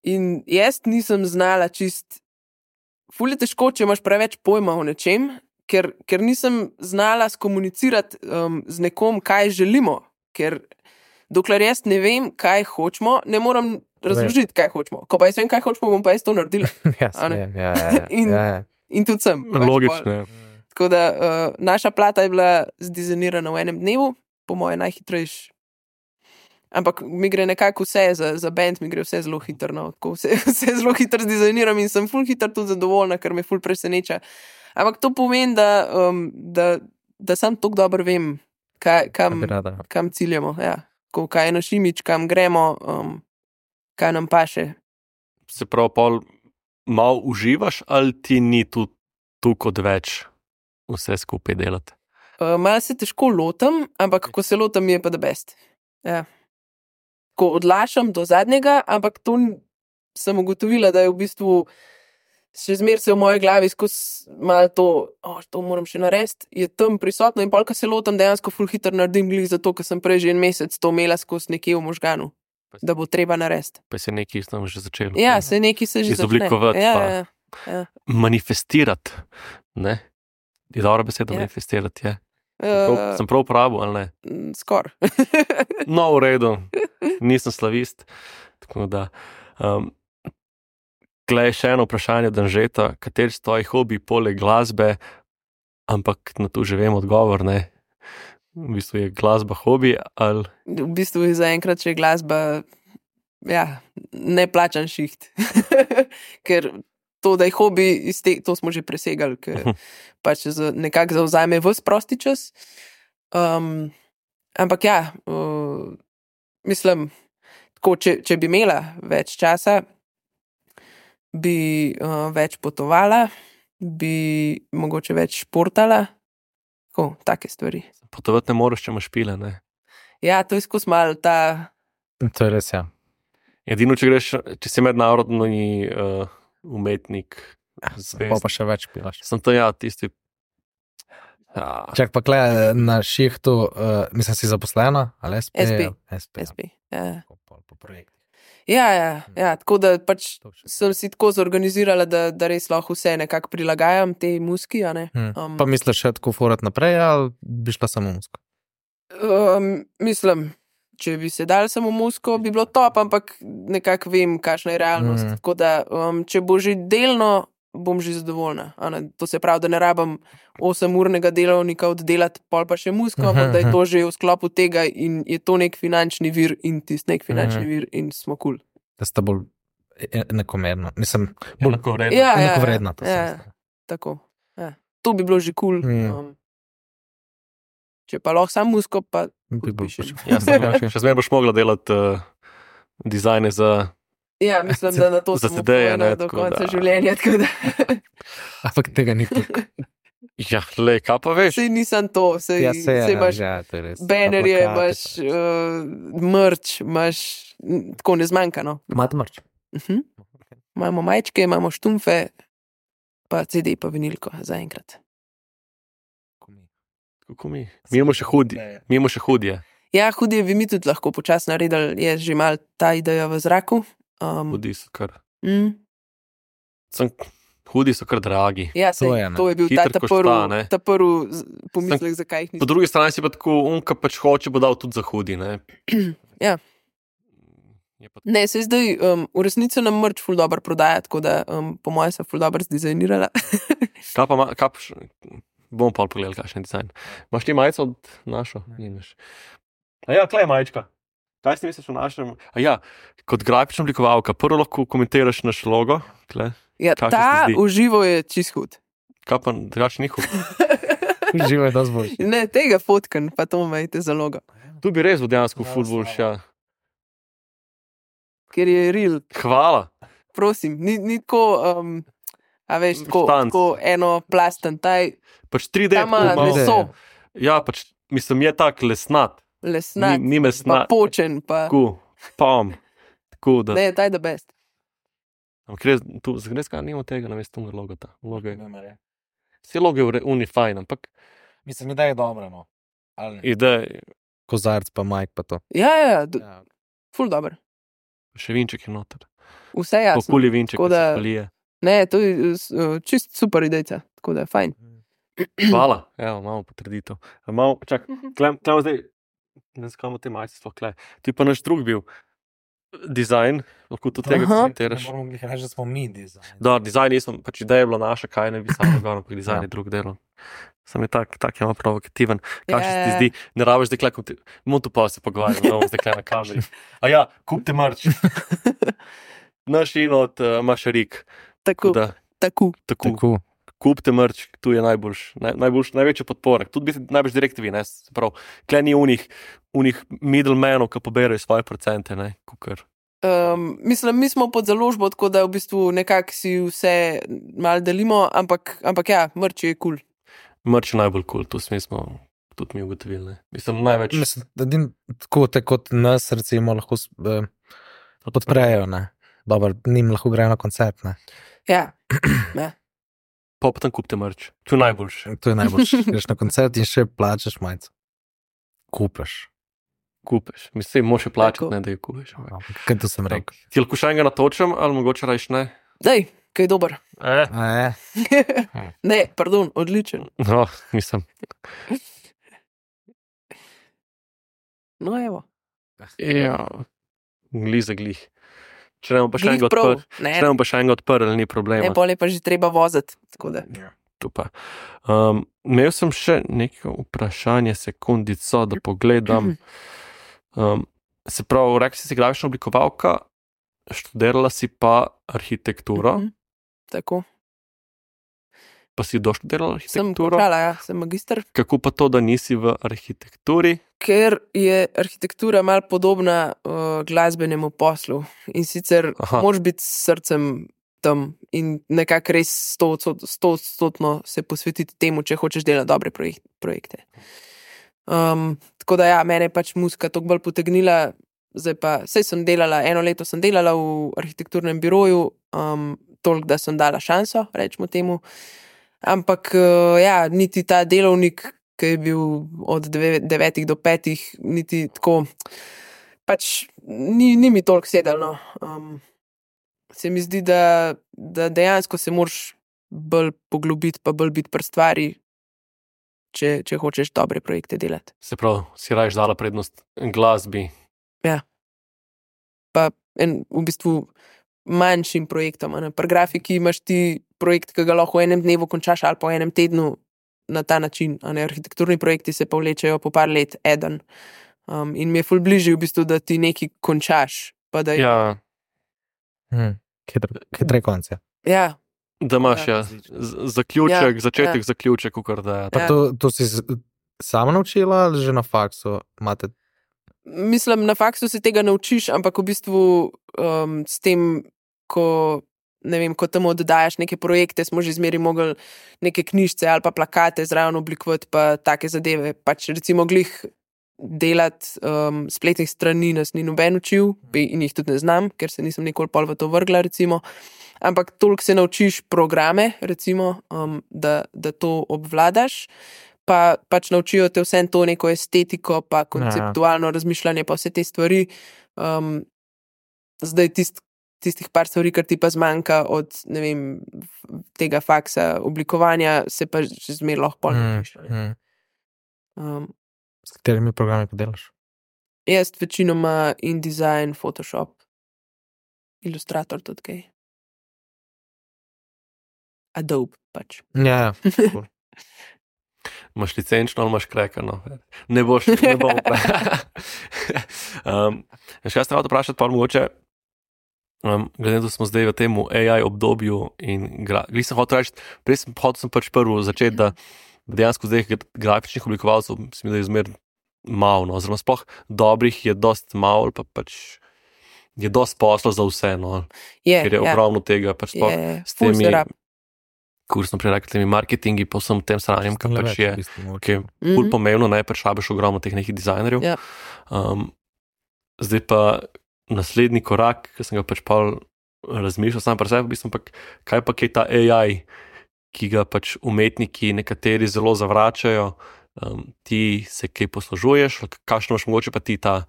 In jaz nisem znala čist, ful je težko, če imaš preveč pojma o nečem, ker, ker nisem znala skomunicirati um, z nekom, kaj želimo, ker dokler jaz ne vem, kaj hočemo, ne moram razložiti, kaj hočemo. Ko pa jaz vem, kaj hočemo, bom pa jaz to naredila. Ja, A ne? ja, ja, ja, In- ja, ja. In tudi sem. pač pol. Logično je. Tako da uh, naša plata je bila zdizajnirana v enem dnevu, po moje najhitrejši. Ampak mi gre nekako vse, za, za band mi gre vse zelo hitro. No. Tako Vse, vse zelo hitro zdizajniram in sem ful hitro tudi zadovoljna, ker me ful preseneča. Ampak to pomeni, da, um, da, da sam tako dobro vem, kaj, kam, Bi rada. kam ciljamo. Ja. Ko, kaj je naš imič, kam gremo, um, kaj nam paše. Se pravi, pol malo uživaš, ali ti ni tu, tu kot več vse skupaj delati? Uh, Malo se težko lotam, ampak ko se lotam, mi je pa da best. Ja. Ko odlašam do zadnjega, ampak to n- sem ugotovila, da je v bistvu še zmeraj se v moji glavi skozi malo to, oh, to moram še narediti, je tam prisotno in polka se lotam, dejansko ful hitro naredim glih zato, ker sem prej že en mesec to imela skozi nekje v možganu, da bo treba narediti. Pa se nekaj tam že začelo. Ja, se neki se že Izoblikovati začne. Ja, pa. ja, ja. Manifestirati, ne? Je dobra beseda, Ja. manifestirati, je. Prav, Uh, sem prav uporabil, ali ne? Skor. No, v redu, nisem slavist. Tako da, um, glej, še eno vprašanje, Danžeta, kateri so tvoji hobi poleg glasbe, ampak na to že vem odgovor, ne? V bistvu je glasba hobi, ali V bistvu je zaenkrat še glasba, ja, ne plačan šiht. Ker to, da je hobi, iz te, to smo že presegali, ker pač za- nekako zauzame ves prosti čas. Um, ampak ja, uh, mislim, tako, če, če bi imela več časa, bi uh, več potovala, bi mogoče več športala, tako, take stvari. potovati ne moreš, če imaš pile, ne? Ja, to je skozi malo ta. To je res, ja. Edino, če greš, če si mednarodni uh, umetnik, Pa zvest. pa še več pilaš. Sem to ja, tisti. Ja, Čak pa kle na šihtu, uh, mislim, si zaposlena, ali S P? S P. S P. S P. Ja. Po, po, po projektih. Ja, ja, ja, tako da pač To še- sem si tako zorganizirala, da, da res lahko vse nekako prilagajam tej muski. a ne. Hm. Um, Pa misliš še tako furat naprej, ali bi šla samo musko? Um, mislim, če bi se dal samo musko, bi bilo top, ampak nekako vem, kakšna je realnost. Mhm. Mm. Tako da, um, če bo že delno, bom že zadovoljna. a ne. To se pravi, da ne rabim osemurnega delovnika oddelati, pol pa še musko, Mhm, ampak da je mhm. to že v sklopu tega in je to nek finančni vir in tisti nek finančni Mhm. vir in smo kul. Cool. Da sta bolj e- enakomerno. Mislim, bolj enakovredno. Ja, ja, enakovredna. to ja. sem Tako. Ja. To bi bilo že kul. Cool. Mm. Um, če pa lahko sam musko, pa Bi bil podpišeš. pač- Ja, sem, ja, še zmeraj boš mogla delati uh, dizajne za. Ja, mislim, da na to Za sem sedaj, upojena ne, do tako konca da- življenja. Tako da Ampak tega ni tukaj. Ja, le, kaj pa veš? sej nisem to, sej, Ja, se je. sej imaš Ja, to je res. banerje, Pa plakate, imaš uh, mrč, imaš m, tako ne zmanjka. No. pa- Imate mrč? Uh-huh. Imamo majčke, imamo štumfe, pa C D, pa vinilko zaenkrat. Kako mi? Mi imamo še hudje. Mi imamo še hudje. Ja, hudje bi mi tudi lahko počasi naredili, je že mal ta ideja v zraku. Um, Hudi so kar. mm, Sem, hudi so kar dragi. ja, sej, To to, je, je, ne. to je bil ta, Hitro ta košta, ne. prvi, ta prvi z- pomislek, zakaj jih Po nisem. drugi strani si pa tako, on, ki pač hoče, bo dal tudi za hudi. Ne? Ja. Je pa Ne, se zdaj um, v resnici nam mrč ful dobro prodaja, tako da um, po mojem se ful dobro zdizajnirala. Kaj pa, ma- kaj pa še, bomo pa pogledali, kakšen dizajn. Imaš ti majico od našo? Nimaš. A ja, klej majčka. Kaj si misliš o našem? A ja, kot grafična oblikovalka, prvo lahko komentiraš naš logo, kle. Ja, Kaj se ti ta zdi? uživo je čist hud. Kaj pa drugač njihov? Živo je dosti boljši. Ne, tega fotkan, pa to imajte za logo. Tu bi res bil dejansko ful boljš, ja. ker je real. Hvala. Prosim, ni, ni tako, um, a veš, tako, Štanc. tako eno plasten, taj Pač tri D. tam ima tako malo- meso, Ja, pač mislim, je tak lesnat. lesnat, Ni, ni pa mesnat. počen, pa Tako, pam. Tako da. ne, taj the best. Ampak res, tu zgledaj nimamo tega na mestu logota. Logo je. Vse logo je v re- uni fajn, ampak Mislim, da je dobro, no. Ali ne? ideja, Kozarc pa Mike pa to. Ja, ja, ja, d- Ja. ful dobro. še vinček je noter. Vse jasno. Populji vinček, Tako da se da- palije. Ne, to je uh, čist super ideja, tako da je fajn. Hvala, evo, imamo potrditev. Malo, čak, klem, klem zdaj, ne vem, kam te majice sploh kle. Tu je pa naš drug bil. Dizajn, lahko tudi tega Aha. Ne citiraš. moramo glih reči, da smo mi dizajn. Da, dizajn nisem, pač ideja je bila naša, kaj ne bi samo gor, ampak dizajn je drug delo. Sam je tak, tak je malo provokativen. Kaj se ti Ja. zdi, ne rabiš zdaj klekom, motu pa se pogovarjamo, no, zdaj klem na kameri. A ja, kupite marč. Naš in od uh, Mašarik. Tako, Da, tako. tako, Tako. kupite marč, tu je najboljš, naj, najboljš, največja podpora. Tudi biti najbolj direktivi, ne, se pravi, klej ni unih, unih middlemenov, ki poberajo svoje procente, ne, kukar. Um, mislim, mi smo pod založbo, tako da v bistvu nekako si vse malo delimo, ampak, ampak ja, mrč je kul. Cool. Marč je najbolj kul, cool, to smo tudi mi ugotovili, ne. Mislim, največ. Mislim, da din, tako te kot nas recimo lahko s- eh, podprejo, ne. Dobro, njim lahko grejo na koncert, ne. Ja, ja. Pa pa tam kupite marč, to je najboljše. To je najboljše. Greš na koncert in še plačaš majico. Kupaš. Kupeš, mislim, moraš jo plačati, Tako. ne da jo kupeš. Ampak Kaj to sem rekel? Ti lahko še enega natočem, ali mogoče rajš ne? Dej, kaj je dober. Eh. A je? Ne, pardon, odličen. No, mislim. No, evo. Ja, glih za glih. Če ne bomo pa še Glih enega prav. odprli, Ne, če ne bomo pa še enega odprli, ni problema. ne, pol je pa že treba voziti. Tako da. Tu pa. Um, imel sem še neko vprašanje, sekundico, da pogledam. Um, se pravi, rekli si, si grafična oblikovalka, študirala si pa arhitekturo, Mhm. Tako. pa si doštudirala Sem arhitekturo. končala, ja, sem magister. Kako pa to, da nisi v arhitekturi? Ker je arhitektura malo podobna uh, glasbenemu poslu in sicer Aha. moraš biti s srcem tam in nekako res stotodstotno se posvetiti temu, če hočeš delati dobre projek projekte. Um, tako da ja, mene je pač muzika toliko bolj potegnila, zdaj pa sej sem delala, eno leto sem delala v arhitekturnem biroju, um, toliko, da sem dala šanso, rečemo temu. Ampak uh, ja, niti ta delovnik, ki je bil od deve, devetih do petih, niti tako, pač ni, ni mi toliko sedelo. Um, se mi zdi, da, da dejansko se moraš bolj poglobiti, pa bolj biti pri stvari, če, če hočeš dobre projekte delati. Se pravi, si rajš dala prednost glasbi. Pa en, v bistvu manjšim projektom. a ne. Pri grafiki imaš ti projekt, ki ga lahko v enem dnevu končaš ali pa v enem tednu na ta način. a ne. Arhitekturni projekti se pa vlečejo po par let, eden. Um, in mi je ful bližje v bistvu, da ti nekaj končaš. Pa da, Ja, Hm. Hitre, hitre konce. ja, da imaš Ja. ja, z- zaključek, Ja, začetek, ja. zaključek, kukar da je. Pa Ja. to, to si z- sama naučila ali že na faksu imate? mislim, na faksu se tega naučiš, ampak v bistvu um, s tem, ko, ne vem, ko tam oddajaš neke projekte, smo že zmeri mogli neke knjižce ali pa plakate zraven oblikovati, pa take zadeve. Pač recimo glih delati um, spletnih strani nas ni noben učil in jih tudi ne znam, ker se nisem nikoli pol v to vrgla, recimo. Ampak toliko se naučiš programe, recimo, um, da, da to obvladaš. Pa pač naučijo te vse to neko estetiko, pa konceptualno razmišljanje, pa vse te stvari. Um, zdaj tist, tistih par stvari, kar ti pa zmanjka od ne vem, tega faksa oblikovanja, se pa že zmeraj lahko pol naučiš. Hm, hm. Um, S katerimi programi pa delaš? jaz večinoma InDesign, Photoshop, Illustrator tudi kaj. Adobe pač. Ja, ja. Imaš licenčno ali imaš krekano? Ne boš, ne bom. um, še jaz sem hotel vprašati, pa mogoče, um, glede na to, da smo zdaj v tem A I obdobju in glede sem hotel reči, prej sem hotel sem pač prvo začeti, da dejansko zdaj grafičnih oblikovalcev mislim, da je zmer malo, no, oziroma sploh dobrih je dost malo, pa pač je dosti posla za vse, no, Je, ker je ja. ogromno tega, pač sploh Je, s ful temi, se rab. kursno prerekli, temi marketingi, pa vsem tem sranjem, ki pač je, ki je ful Mhm. pomembno, ne, pač rabiš ogromno teh nekih dizajnerjev. Ja. Um, zdaj pa naslednji korak, ki sem ga pač pol razmišljal sam pri sebi, v bistvu, pa, kaj pa je ta A I, ki ga pač umetniki nekateri zelo zavračajo, um, ti se kaj poslužuješ, kakšno imaš mogoče pa ti ta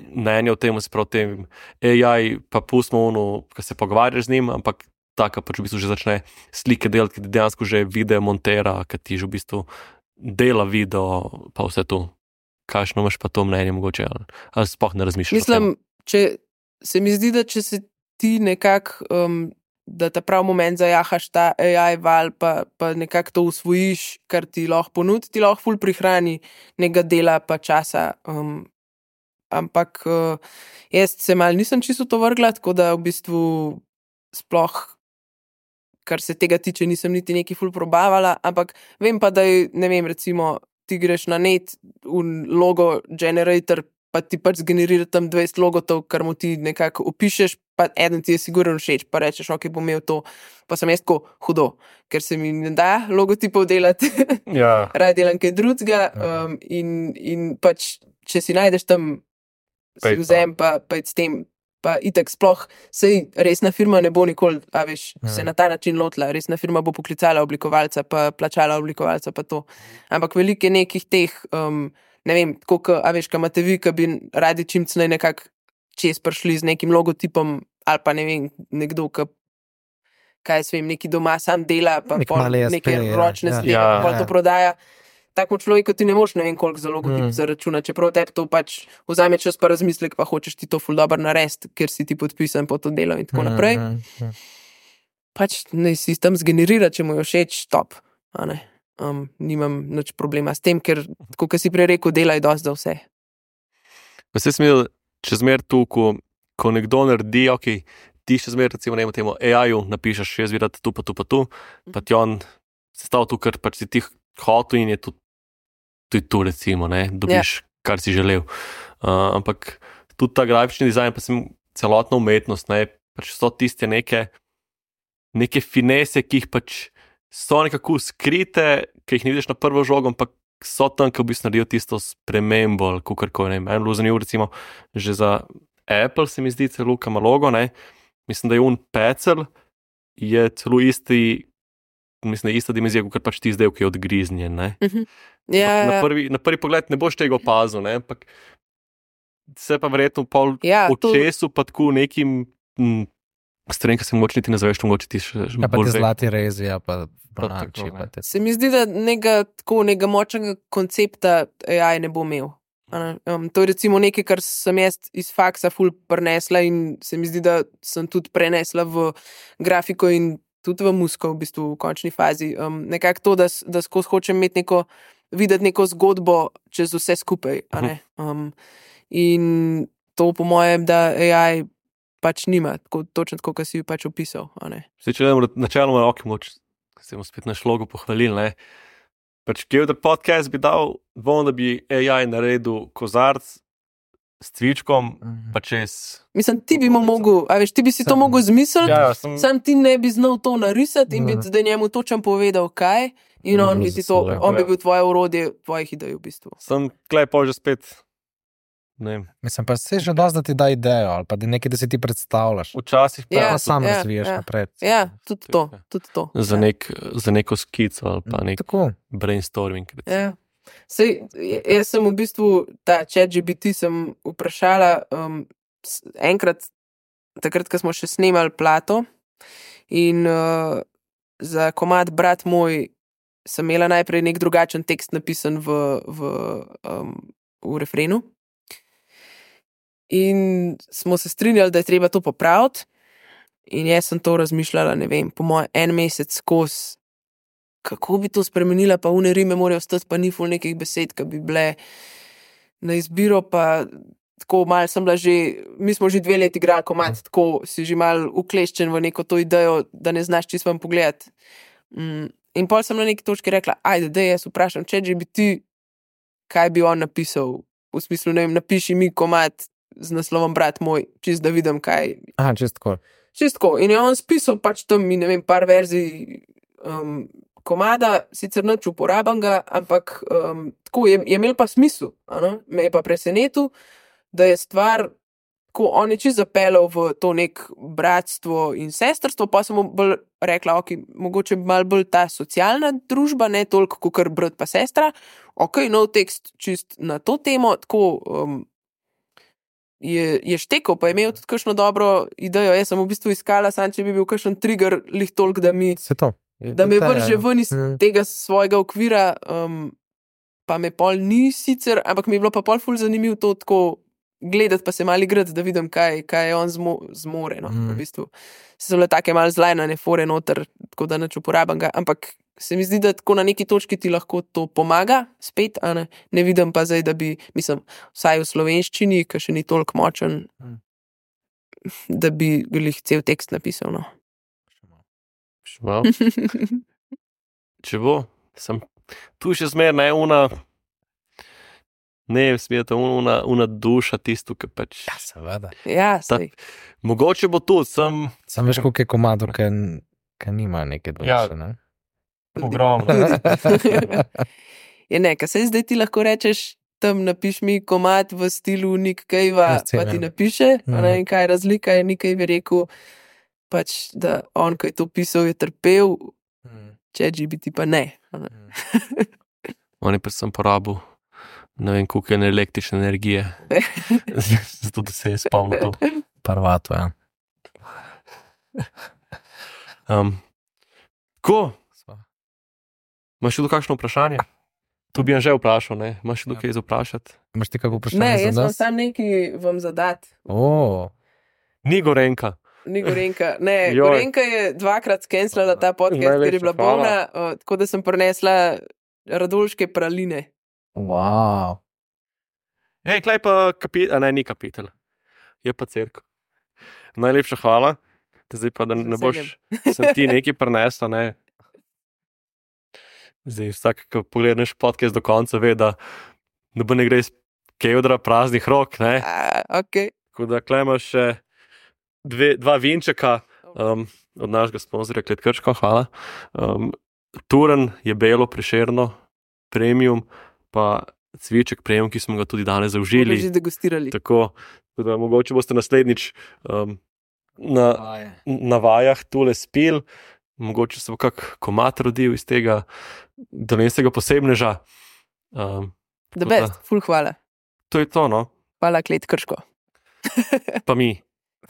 mnenje o tem, se pravi o tem A I, pa pustimo ono, ki se pogovarjaš z njim, ampak taka pač v bistvu že začne slike delati, ki ti dejansko že video montera, ki ti že v bistvu dela video, pa vse to. Kakšno imaš pa to mnenje mogoče, ali, ali sploh ne razmišljaš? Mislim, če se mi zdi, da če se ti nekako, um, da ta prav moment zajahaš ta A I val, pa, pa nekako to usvojiš, kar ti lahko ponudi, ti lahko ful prihrani nekega dela pa časa. Um, ampak uh, jaz se mal nisem čisto to vrgla, tako da v bistvu sploh, kar se tega tiče, nisem niti neki ful probavala, ampak vem pa, da je, ne vem, recimo, ti greš na net, v logo generator, pa ti pač zgenerira tam dvajset logotov, kar mu ti nekako opišeš, pa eden ti je sigurno všeč, pa rečeš, ok, bom imel to, pa sem jaz tako hudo, ker se mi ne da logotipov delati, Ja. rad delam kaj drugega um, in, in pač, če si najdeš tam, si Pej pa. vzem, pa, pa s tem, pa itak sploh, sej resna firma ne bo nikoli, a veš, se na ta način lotila, resna firma bo poklicala oblikovalca, pa plačala oblikovalca, pa to. Ampak veliko je nekih teh, um, ne vem, tako, ka, a veš, ka imate vi, ka bi radi čim cnej nekako čez prišli z nekim logotipom, ali pa ne vem, nekdo, ka, kaj se vem, neki doma sam dela, pa Nek pol mali S P, neke ja. ročne Ja. zadeve, Ja. pol to prodaja. Takemu človeku ti ne moš ne vem koliko za logotip Mm. zaračuna, čeprav tebi to pač vzame čas pa razmislek, pa hočeš ti to ful dobro narediti, ker si ti podpisan po to delo in tako naprej. Mhm, mhm. Pač naj si tam zgenerira, če mu je všeč, top. A ne? Um, nimam nič problema s tem, ker, tako kot si prej rekel, dela je dosti za vse. Pa se smel, če zmer tu, ko, ko nekdo naredi, ok, ti še zmer, recimo, ne vem, temu A I-ju napišeš, jaz videti tu, pa tu, pa tu, pa ti on sestavil tu, kar pač si ti hotel in je tu, tu, tu recimo, ne, dobiš, ja. kar si želel. Uh, ampak tudi ta grafični dizajn, pa sem celotna umetnost, ne, pač so tiste neke, neke finese, ki jih pač so nekako skrite, ki jih ne vidiš na prvo žogo, ampak so tam, ki v bistvu naredijo tisto spremembo, ali kakorkoli, ne vem, en bilo zanimivo, recimo, že za Apple se mi zdi celo kamalogo, ne, mislim, da je un pecelj, je celo isti, mislim, da je ista dimenzija, kot pač ti izdelki od griznje, ne. Ja, Na prvi, na prvi pogled ne boš tega opazil, ne, ampak se pa verjetno pol ja, to, očesu pa tako nekim m, stvarem, ki se mogoče niti ne zaveš, mogoče ti še Ja, pa bolj ti ve. zlati rezi, ja, pa tako, bananči, ne. pa te. se mi zdi, da nekega, tako, nekega močnega koncepta A I ne bo imel. A ne? Um, to je recimo nekaj, kar sem jaz iz faksa ful prenesla in se mi zdi, da sem tudi prenesla v grafiko in tudi v muziko v bistvu v končni fazi. Um, nekako to, da, s- da skozi hočem imeti neko, videti neko zgodbo čez vse skupaj. A ne? Um, in to po mojem, da A I pač nima, tako, točno tako, kot si jo pač opisal. A ne? Zdaj, če gledamo načeloma, ok, moč, se bomo spet naš logo pohvalili, ne. Pač Kevdr podcast bi dal, bom, da bi A I naredil kozarc s cvičkom, pa čez... Mislim, ti bi mu mogel, a veš, ti bi si to Sam- mogel zmisliti, Ja, sem... sam ti ne bi znal to narisati in bi Mhm. zdaj njemu točno povedal, kaj. In Mhm, on bi ti to, zaslužil, on bi ja. bil tvoje orodje, tvojih idej v bistvu. Sem tlej pol že spet, ne vem, Mislim, pa se že dosti, da ti da idejo, ali pa da nekaj, da si ti predstavljaš. včasih pa Ja, Pa sam ja, razviješ ja. naprej. Ja, tudi to, tudi to. za, ja. nek, za neko skico ali pa nek Tako. brainstorming. recimo. Ja. Sej, jaz sem v bistvu ta ChatGPT sem vprašala um, s- enkrat, takrat, ko smo še snemali plato in uh, za komad Brat moj sem imela najprej nek drugačen tekst napisan v, v, um, v refrenu. In smo se strinjali, da je treba to popraviti. In jaz sem to razmišljala, ne vem, po mojem en mesec skozi, kako bi to spremenila, pa une rime morajo ostati, pa ni ful nekih besed, ki bi bile na izbiro, pa tako malo sem bila že, mi smo že dve leti igrali komad, tako si že malo ukleščen v neko to idejo, da ne znaš čisto vam pogledati. Mm. In pol sem na neki točki rekla, ajde, da jaz vprašam, če že bi ti, kaj bi on napisal, v smislu, ne vem, napiši mi komad z naslovom Brat moj, čist da vidim, kaj. Aha, čist tako. Čist tako. In je on spisal pač tam, ne vem, par verzij um, komada, sicer nič uporabenega, ampak um, tako je, je imel pa smisel. Ano? Me je pa presenetil, da je stvar, ko on je čist zapeljal v to nek bratstvo in sestrstvo, pa sem mu bolj rekla, ok, mogoče malo bolj ta socialna družba, ne toliko kot kar brat pa sestra. Ok, nov tekst čist na to temo, tako um, je, je štekal, pa je imel tudi kakšno dobro idejo. Jaz sem v bistvu iskala, sam če bi bil kakšen trigger, lih toliko, da mi, Se to. da me vrže ven iz Mm. tega svojega okvira, um, pa me pol ni sicer, ampak mi je bilo pa pol ful zanimivo to tako gledati, pa se malo igrati, da vidim, kaj, kaj je on zmo, zmore. No, Mm. v bistvu. Se so bile take malo zlajnane fore noter, tako da nič uporabam ga, ampak se mi zdi, da tako na neki točki ti lahko to pomaga, spet, a ne, ne vidim pa zdaj, da bi, mislim, vsaj v slovenščini, ki še ni toliko močen, Mm. da bi glih cel tekst napisal, no. Šmo. Če bo, sem tu še zmer, ne, una, ne, smeta, una, una duša tisto, ki pač, Ja, seveda. Ja, Ta- sej. mogoče bo tudi, sem Sam veš, koliko je komadov, ki ki nima neke duše, Ja. ne? ogromno. Je ne, kaj se zdaj ti lahko rečeš, tam napiš mi komad v stilu Nick Cave-a, Ja, scena. pa ti napiše, Mhm. ne, in kaj je razlika, je Nick Cave rekel, pač, da on, ko je to pisal, je trpel, Mm. če G B T pa ne. a ne. On je predvsem porabil, ne vem, koliko je električne energije, zato da se je spomnil to. Parvato, ja. Um, ko, Sva. imaš še tu kakšno vprašanje? To bi jim že vprašal, ne? Imaš še tu kaj za vprašati? Imaš ti kako vprašanje Ne, za jaz imam nas? sam nekaj vam zadat. O, Ni Gorenka. Ni Gorenka. Ne, Joj. Gorenka je dvakrat skenslala ta podcast, ker je Najlepša bila hvala. bolna, uh, tako da sem prinesla radolške praline. wow. Hej, klej pa kapitel, a ne, ni kapitel. Je pa cerkev. Najlepša hvala. Zdaj pa, da Z ne boš, sem ti nekaj prinesla, ne. Zdaj vsak, ki pogledaš podcast do konca, ve, da ne bo ne gre iz kevdra praznih rok, ne. A, ok. Tako da klej imaš še dve, dva vinčeka um, od našega sponzorja Klet Krško, hvala. Um, Turen je belo, prešerno, premium, pa cviček premium, ki smo ga tudi danes Bomo zaužili. že degustirali. Tako, tako da mogoče boste naslednjič um, na, na vajah tule spil, mogoče se bo kak komat rodil iz tega dolenskega posebneža. Um, The tako best, da, ful hvala. to je to, no, Hvala, Klet Krško. pa mi.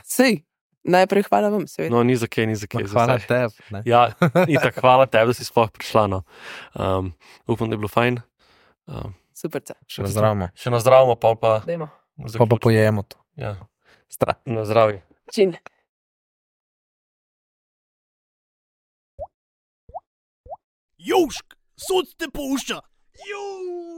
Sej, najprej hvala vam, seveda. No, ni za kaj, ni za kaj. za Hvala vse. tebi. ne. Ja, in tako hvala tebi, da si sploh prišla. No. Um, upam, da je bilo fajn. Um, Superca. Še nazdravimo. še na zdravje, pa pa. Dajmo. Pa pa pojemo to. Ja. Stra- na zdravje. Čin. Južk, sod te pušča. Juž.